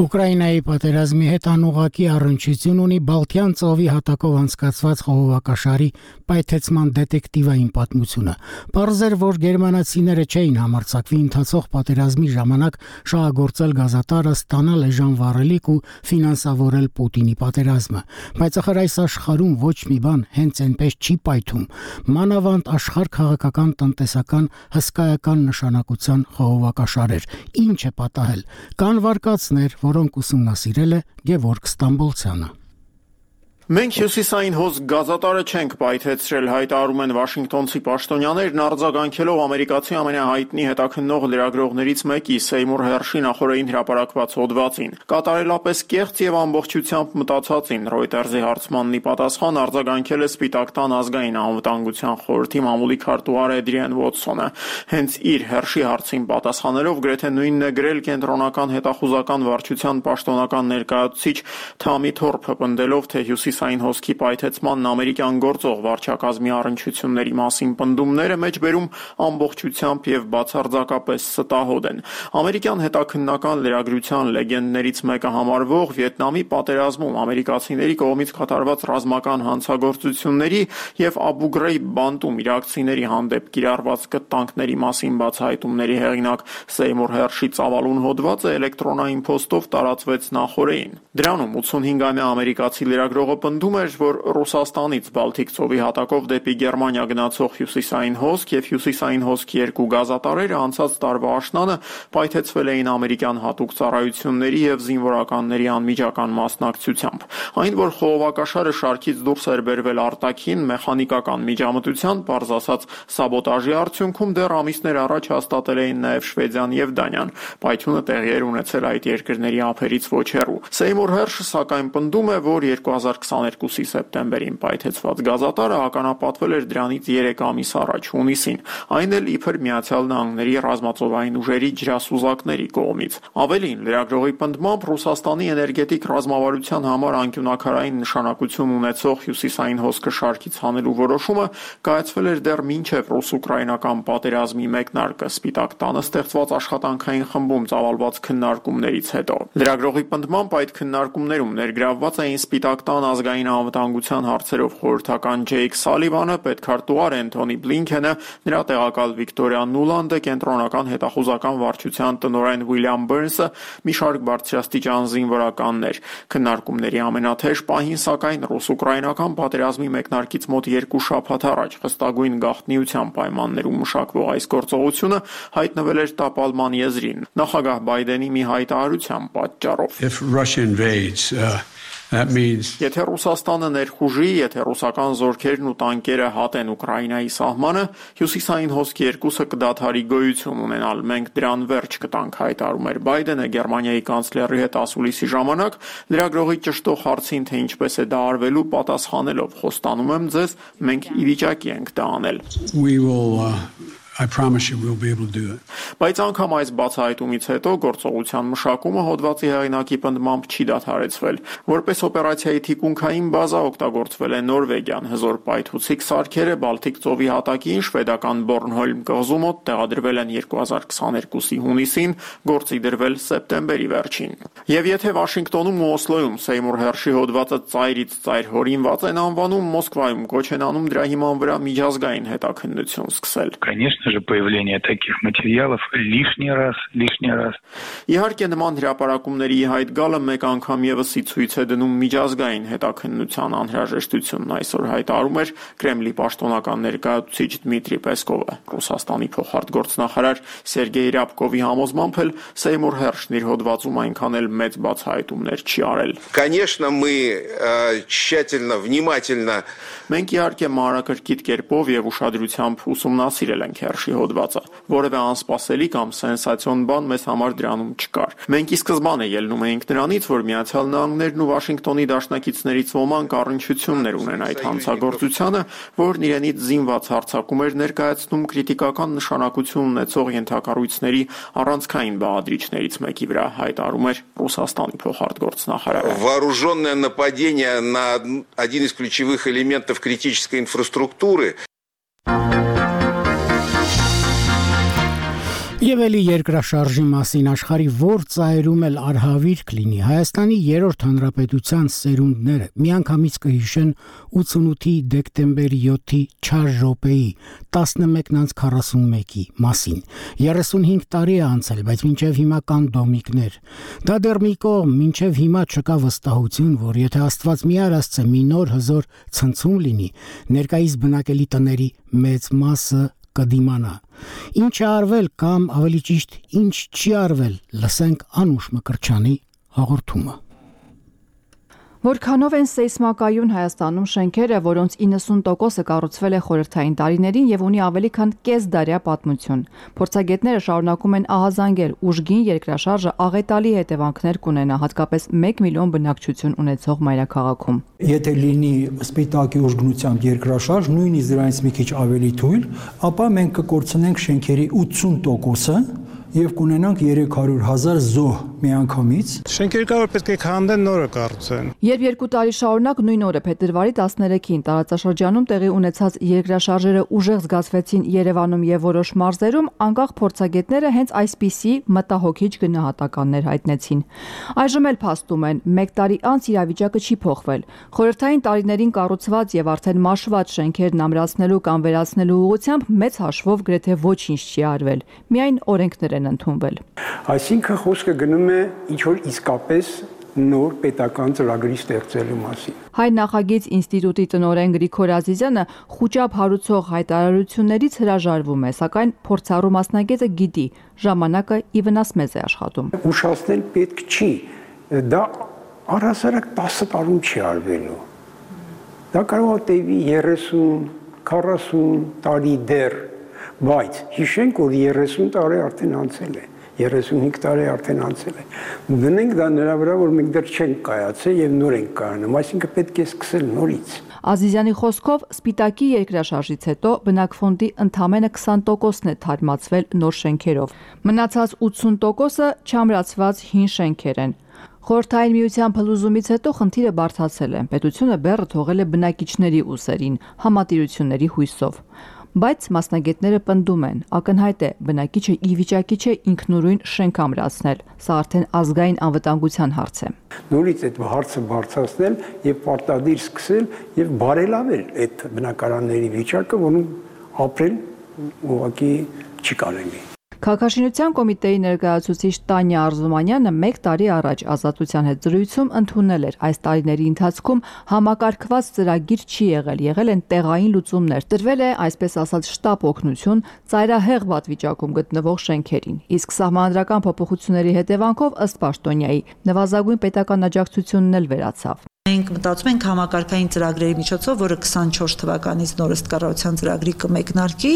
Ուկրաինայի պատերազմի հետ անուղակի առնչություն ունի Բալթյան ծովի հատակով անցկացված խողովակաշարի պայթեցման դետեկտիվային պատմությունը։ Պարզ էր, որ գերմանացիները չէին համարձակվի ընթացող պատերազմի ժամանակ շահագործել գազատարը, ստանալ էժան վառելիք ու ֆինանսավորել Պուտինի պատերազմը։ Բայց ախր այս աշխարհում ոչ մի բան հենց այնպես չի պայթում։ Մանավանդ աշխարհ քաղաքական, տնտեսական, հսկայական նշանակության խողովակաշարեր։ Ինչ է պատահել։ Կան վարկածներ, որոնք ուսումնասիրել է Գևորգ Ստամբոլցյանը։ Մենք հյուսիսային հոս գազատարը չենք պայթեցրել, հայտարարում են Վաշինգտոնցի պաշտոնյաներն արձագանքելով ամերիկացի ամենահայտնի հետաքննող լրագրողներից մեկի Սեյմուր Հերշի նախորդին հրապարակված հոդվածին։ Կատարելապես կեղծ եւ ամբողջությամբ մտածածին Reuters-ի հարցմանն ի պատասխան արձագանքել է Սպիտակ տան ազգային անվտանգության խորհրդի մամուլի քարտուղար Էդրիեն Ուոտսոնը։ Հենց իր Հերշի հարցին պատասխանելով գրեթե նույնն է գրել կենտրոնական հետախուզական վարչության պաշտոնական ներկայացուցիչ Թամի Թորփը, պնդելով, թե հյուսիսային հոսքի պայթեցմանն ամերիկյան գործող վարչակազմի առնչությունների մասին պնդումները մեջբերում ամբողջությամբ եւ բացարձակապես ստահոդ են։ Ամերիկյան հետաքննական լրագրության լեգենդներից մեկը համարվող Վիետնամի պատերազմում ամերիկացիների կողմից կատարված ռազմական հանցագործությունների եւ Աբու Գրեյբ բանտում իրաքցիների հանդեպ կիրառված կտանքների մասին բացահայտումների հեղինակ Սեյմուր Հերշի ծավալուն հոդվածը էլեկտրոնային փոստով տարածվեց նախօրեին։ Դրանում ութսունհինգամյա ամերիկացի լրագրողը պնդում էր, որ Ռուսաստանից Բալթիկ ծովի հատակով դեպի Գերմանիա գնացող հյուսիսային հոսք եւ հյուսիսային հոսքի երկու գազատարերը անցած տարվա աշնանը պայթեցվել էին ամերիկյան հատուկ ծառայությունների եւ զինվորականների անմիջական մասնակցությամբ։ Այն, որ խողովակաշարը շարքից դուրս էր բերվել արտաքին մեխանիկական միջամտության, պարզ ասած սաբոտաժի արդյունքում դեռ ամիսներ առաջ հաստատել էին նաեւ Շվեդիան եւ Դանիան։ Պայթյունը տեղի էր ունեցել այդ երկրների ափերից ոչ հեռու։ Սեյմուր Հերշը սակայն պնդում է, որ երկու հազար քսաներկուսի սեպտեմբերին պայթեցված գազատարը ականապատվել էր դրանից երեք ամիս առաջ հունիսին, այն էլ իբր Միացյալ Նահանգների ռազմածովային ուժերի ջրասուզակների կողմից։ Ավելին, լրագրողի պնդմամբ Ռուսաստանի էներգետիկ ռազմավարության համար անկյունաքարային նշանակություն ունեցող հյուսիսային հոսքը շարքից հանելու որոշումը կայացվել էր դեռ մինչև ռուս-ուկրաինական պատերազմի մեկնարկը Սպիտակ տանը ստեղծված աշխատանքային խմբում ծավալված քննարկումներից հետո։ Լրագրողի պնդմամբ այդ քննարկումներում ներգրավված էին Սպիտակ տան ազգային անվտանգության հարցերով խորհրդական Ջեյք Սալիվանը, պետքարտուղար Էնթոնի Բլինքենը, նրա տեղակալ Վիկտորիա Նուլանդը, կենտրոնական հետախուզական վարչության տնօրեն Ուիլյամ Բըրնսը, մի շարք բարձրաստիճան զինվորականներ։ Քննարկումների ամենաթեժ պահին սակայն ռուս-ուկրաինական պատերազմի մեկնարկից մոտ երկու շաբաթ առաջ խստագույն գաղտնիության պայմաններում մշակվող այս գործողությունը հայտնվել էր տապալման եզրին նախագահ Բայդենի մի հայտարարության պատճառով։ If Russia invades, uh... Եթե Ռուսաստանը ներխուժի, եթե ռուսական զորքերն ու տանկերը հատեն Ուկրաինայի սահմանը, հյուսիսային հոսքի երկուսը կդադարի գոյություն ունենալ, մենք դրան վերջ կտանք, հայտարարում էր Բայդենը Գերմանիայի կանցլերի հետ ասուլիսի ժամանակ, լրագրողի ճշտող հարցին, թե ինչպես է դա արվելու, պատասխանելով, խոստանում եմ ձեզ, մենք ի վիճակի ենք դա անել։ We will uh... I promise you we'll be able to do it. Բայց անգամ այս բացահայտումից հետո գործողության մշակումը հոդվածի հեղինակի պնդմամբ չի դադարեցվել։ Որպես օպերացիայի թիկունքային բազա օգտագործվել է Նորվեգիան, հզոր պայթուցիկ սարքերը Բալթիկ ծովի հատակին շվեդական Բորնհոլմ կղզու մոտ տեղադրվել են երկու հազար քսաներկուսի հունիսին, գործի դրվել սեպտեմբերի վերջին։ Եվ եթե Վաշինգտոնում ու Օսլոյում Սեյմուր Հերշի հոդվածը ծայրից ծայր հորինված են անվանում, Մոսկվայում կոչ են անում դրա հիման վրա միջազգային հետաքննություն սկսել։ Конечно же, появление таких материалов лишний раз, лишний раз. Իհարկե նման հրապարակումների հայտ գալը մեկ անգամ եւս ի ցույց է դնում միջազգային հետաքննության անհրաժեշտությունն, այսօր հայտարարում էր Կրեմլի պաշտոնական ներկայացուցիչ Դմիտրի Պեսկովը։ Ռուսաստանի փոխարտգործնախարար Սերգեյ Ռябկովի համոզմամբ էլ Սեյմուր Հերշն իր հոդվածում այնքան էլ մեծ բացահայտումներ չի արել։ Конечно, мы тщательно, внимательно Մենք իհարկե մանրակրկիտ կերպով եւ ուշադրությամբ ուսումնասիրել ենք Հերշի հոդվածը։ Որևէ անսպասելի կամ սենսացիոն բան մեզ համար դրանում չկար։ Մենք ի սկզբանե ելնում էինք նրանից, որ Միացյալ Նահանգներն ու Վաշինգտոնի դաշնակիցներից ոմանք առնչություններ ունեն այդ հանցագործությանը, որն իրենից զինված հարձակում էր ներկայացնում քրիտիկական նշանակություն ունեցող ենթակառույցների առանցքային բաղադրիչներից մեկի վրա, հայտարարում էր Ռուսաստանի փոխարտգործնախարարը։ Вооруженное нападение на один из ключевых элементов критической инфраструктуры. Եվ էլի երկրաշարժի մասին աշխարհի որ ծայրում էլ արհավիր կլինի, Հայաստանի երրորդ հանրապետության սերունդները միանգամից կհիշեն ութսունութի դեկտեմբերի յոթի չար րոպեի տասնմեկն քառասունմեկի մասին։ երեսունհինգ տարի է անցել, բայց մինչև հիմա կան դոմիկներ։ Դա դեռ մի կողմ, մինչև հիմա չկա վստահություն, որ եթե Աստված մի արածը մի նոր հզոր ցնցում լինի, ներկայիս բնակելի տների մեծ մասը կդիմանա։ Ինչ է արվել կամ ավելի ճիշտ ինչ չի արվել, լսենք Անուշ Մկրտչյանի հաղորդումը։ Որքանով են սեյսմակայուն Հայաստանում շենքերը, որոնց իննսուն տոկոսը կառուցվել է խորհրդային տարիներին եւ ունի ավելի քան կեսդարյա պատմություն։ Փորձագետները շարունակում են ահազանգել ուժգին երկրաշարժը աղետալի հետևանքներ կունենա, հատկապես մեկ միլիոն բնակչություն ունեցող մայրաքաղաքում։ Եթե լինի սպիտակի ուժգնությամբ երկրաշարժ, նույնիսկ դրանից մի քիչ ավելի թույլ, ապա մենք կկորցնենք շենքերի ութսուն տոկոսը եւ կունենանք երեք հարյուր հազար զոհ միանգամից։ Շենքերը կարող պետք է քանդեն, նորը կառուցեն։ Երբ երկու տարի շարունակ նույն օրը փետրվարի տասներեքին տարածաշրջանում տեղի ունեցած երկրաշարժերը ուժեղ զգացվեցին Երևանում եւ որոշ մարզերում, անկախ փորձագետները հենց այսպիսի մտահոգիչ գնահատականներ հայտնեցին։ Այժմ էլ փաստում են, մեկ տարի անց իրավիճակը չի փոխվել։ Խորհրդային տարիներին կառուցված եւ արդեն մաշված շենքերն ամրացնելու կամ վերացնելու ուղղությամբ մեծ հաշվով գրեթե ոչինչ չի արվել։ Միայն օրենքներ են ընդունվել։ Այսինքն խոսքը գնում է ինչ որ իսկապես նոր պետական ծրագրի ստեղծելու մասին։ Հայ նախագիծ ինստիտուտի տնօրեն Գրիգոր Ազիզյանը խուճապ հարուցող հայտարարություններից հրաժարվում է, սակայն փորձառու մասնագետը գիտի, ժամանակը ի վնաս մեզ է աշխատում։ Ուշացնել պետք չի, դա առհասարակ տասը տարում չի արվելու։ Դա կարող է տևի երեսուն, քառասուն տարի դեռ, բայց հիշենք, որ երեսուն տարի արդեն անցել է, երեսունհինգ տարի արդեն անցել է։ Դնենք դա նրա վրա, որ մենք դեռ չենք կայացել եւ նոր ենք կայանում, այսինքն պետք է սկսել նորից։ Ազիզյանի խոսքով սպիտակի երկրաշարժից հետո բնակֆոնդի ընդամենը քսան տոկոսն է թարմացվել նոր շենքերով։ Մնացած ութսուն տոկոսը չամրացված հին շենքեր են։ Խորհրդային միության փլուզումից հետո խնդիրը բարդացել է։ Պետությունը բեռը թողել է բնակիչների ուսերին, համատիրությունների հույսով։ Բայց մասնագետները պնդում են, ակնհայտ է, բնակիչը ի վիճակի չէ ինքնուրույն շենք ամրացնել, սա արդեն ազգային անվտանգության հարց է։ Նորից այդ հարցը բարձրացնել եւ պարտադիր սկսել եւ բարելավել այդ բնակարանների վիճակը, որոնք ապրել ուղղակի չի կարելի։ Քաղաքաշինության կոմիտեի ներկայացուցիչ Տանյա Արզումանյանը մեկ տարի առաջ Ազատության հետ զրույցում ընդունել էր այս տարիների ընթացքում համակարգված ծրագիր չի եղել, եղել են տեղային լուծումներ, տրվել է այսպես ասած շտապ օգնություն ծայրահեղ վատվիճակում գտնվող շենքերին, իսկ սահմանադրական փոփոխությունների հետևանքով ըստ Պաշտոնյայի նվազագույն պետական աջակցությունն էլ վերացավ։ Մենք մտածում ենք համակարգային ծրագրերի միջոցով, որը քսանչորս թվականից նոր ըստ կառավարության ծրագրի կմեկնարկի,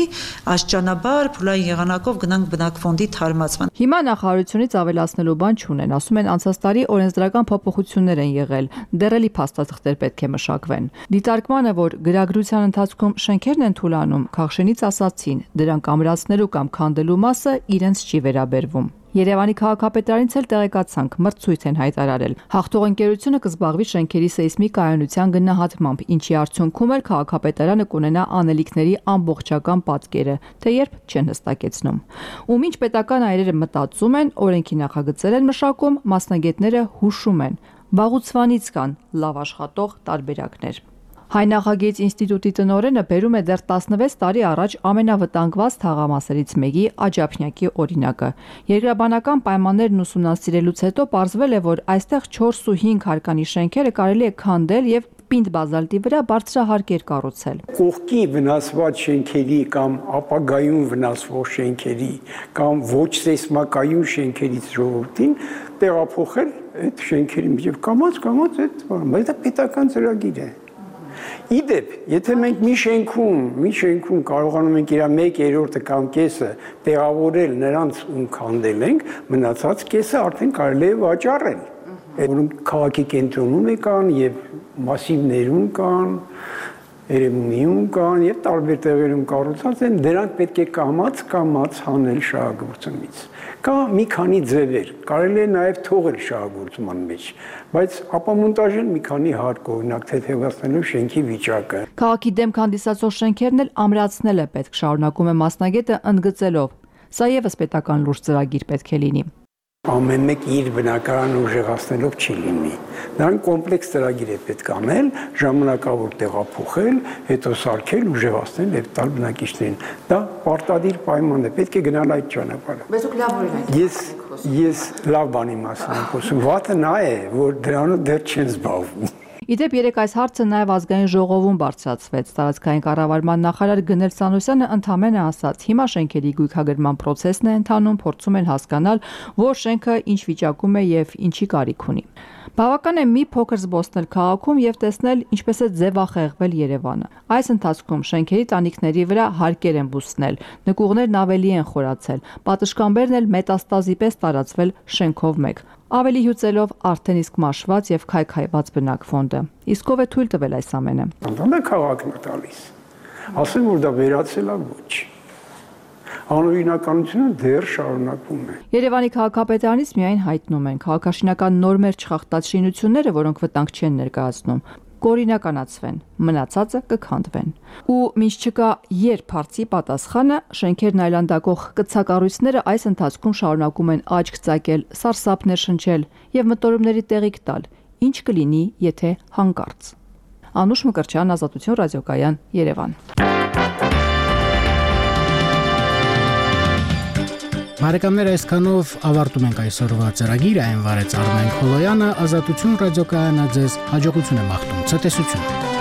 աստիճանաբար փուլային եղանակով գնանք բնակֆոնդի թարմացման։ Հիմա նախարարությունից ավելացնելու բան չունեն, ասում են անցած տարի օրենսդրական փոփոխություններ են եղել, դեռելի փաստաթղթեր պետք է մշակվեն։ Դիտարկմանը, որ գրագրության ընթացքում շենքերն են թուլանում, Քաղշենից ասացին, դրանք ամրացնելու կամ քանդելու մասը իրենց չի վերաբերվում։ Երևանի քաղաքապետարանից էլ տեղեկացանք, մրցույթ են հայտարարել։ Հաղթող ընկերությունը կզբաղվի շենքերի սեյսմիկ կայունության գնահատմամբ, ինչի արդյունքում էլ քաղաքապետարանը կունենա անելիքների ամբողջական պատկերը, թե երբ չեն հստակեցնում։ Ու մինչ պետական այրերը մտածում են, օրենքի նախագծեր են մշակում, մասնագետները հուշում են, վաղուցվանից կան լավ աշխատող տարբերակներ։ Հայ նախագիծ ինստիտուտի տնօրենը բերում է դեռ տասնվեց տարի առաջ ամենավտանգված թաղամասերից մեկի Աջափնյակի օրինակը։ Երկրաբանական պայմաններն ուսումնասիրելուց հետո պարզվել է, որ այստեղ չորս ու հինգ հարկանի շենքերը կարելի է քանդել եւ պինդ բազալտի վրա բարձրահարկեր կառուցել։ Կողքի վնասված շենքերի կամ ապագայում վնասվող շենքերի կամ ոչ սեյսմակայուն շենքերից ժողովրդին տեղափոխել այդ շենքերի միջև կամաց կամաց այդ, բայց դա պետական ծրագիր է։ Իդեպ, եթե մենք մի շենքում, մի շենքում կարողանում ենք իր մեկ երրորդը կամ կեսը տեղավորել նրանց ում քանդել ենք, մնացած կեսը արդեն կարելի է վաճառել։ Որոնք քաղաքի կենտրոնում կան եւ մասիվներում կան, Երևանում կան եւ տարբեր տեղերում կառուցած են, դրանք պետք է կամաց կամաց հանել շահագործումից։ Կա մի քանի ձևեր, կարելի է նաեւ թողել շահագործման մեջ, բայց ապամոնտաժել մի քանի հարկ, օրինակ թեթևացնելով շենքի վիճակը։ Քաղաքի դեմ հանդիսացող շենքերն էլ ամրացնել է պետք, շարունակում է մասնագետը ընդգծելով։ Սա եւս պետական լուրջ ծրագիր պետք է լինի։ Ամեն մեկ իր բնակարանը ուժեղացնելով չի լինի։ Դրան կոմպլեքս ծրագիր է պետք անել, ժամանակավոր տեղափոխել, հետո սարքել, ուժեղացնել եւ տալ բնակիչներին։ Դա պարտադիր պայման է, պետք է գնալ այդ ճանապարհը։ Բայց դուք լավ օրինակ եք։ Ես ես լավ բանի մասին եմ խոսում։ Վատը նա է, որ դրանով դեռ չեն զբաղվում։ Իդեպ երեք այս հարցը նաև ազգային ժողովում բարձրացվեց։ Տարածքային կառավարման նախարար Գնել Սանոսյանը ընդհանրապես ասաց. հիմա շենքերի գույքագրման process-ն է ընթանում, փորձում են հասկանալ, որ շենքը ինչ վիճակում է եւ ինչի կարիք ունի։ Բավական է մի փոքր զբոսնել քաղաքում եւ տեսնել ինչպես է ձևախեղվել Երևանը։ Այս ընթացքում շենքերի տանիքների վրա հարկեր են բուսնել, նկուղներն ավելի են խորացել, պատշգամբերն էլ մետաստազի պես տարածվել շենքով մեկ։ Ավելի հյուծելով արդեն իսկ մաշված եւ քայքայված բնակֆոնդը։ Իսկ ով է թույլ տվել այս ամենը։ Անդամը քաղաքն է տալիս։ Ասեմ որ դա վերացել է ոչ։ Անօրինականությունը դեռ շարունակվում է։ Երևանի քաղաքապետարանից միայն հայտնում են քաղաքաշինական նորմեր չխախտած շինությունները, որոնք վտանգ չեն ներկայացնում, կօրինականացվեն, մնացածը կքանդվեն։ Ու մինչ չկա երբ հարցի պատասխանը, շենքերն այլանդակող կցակառույցները այս ընթացքում շարունակում են աչք ծակել, սարսափներ շնչել եւ մտորումների տեղիք տալ, ինչ կլինի, եթե հանկարծ։ Անուշ Մկրտչյան, Ազատություն ռադիոկայան, Երևան։ Բարեկամներ, այսքանով ավարտում ենք այսօրվա ծրագիրը, այն վարեց Արմեն Քոլոյանը, Ազատություն ռադիոկայանը ձեզ հաջողություն է մաղթում, ցտեսություն։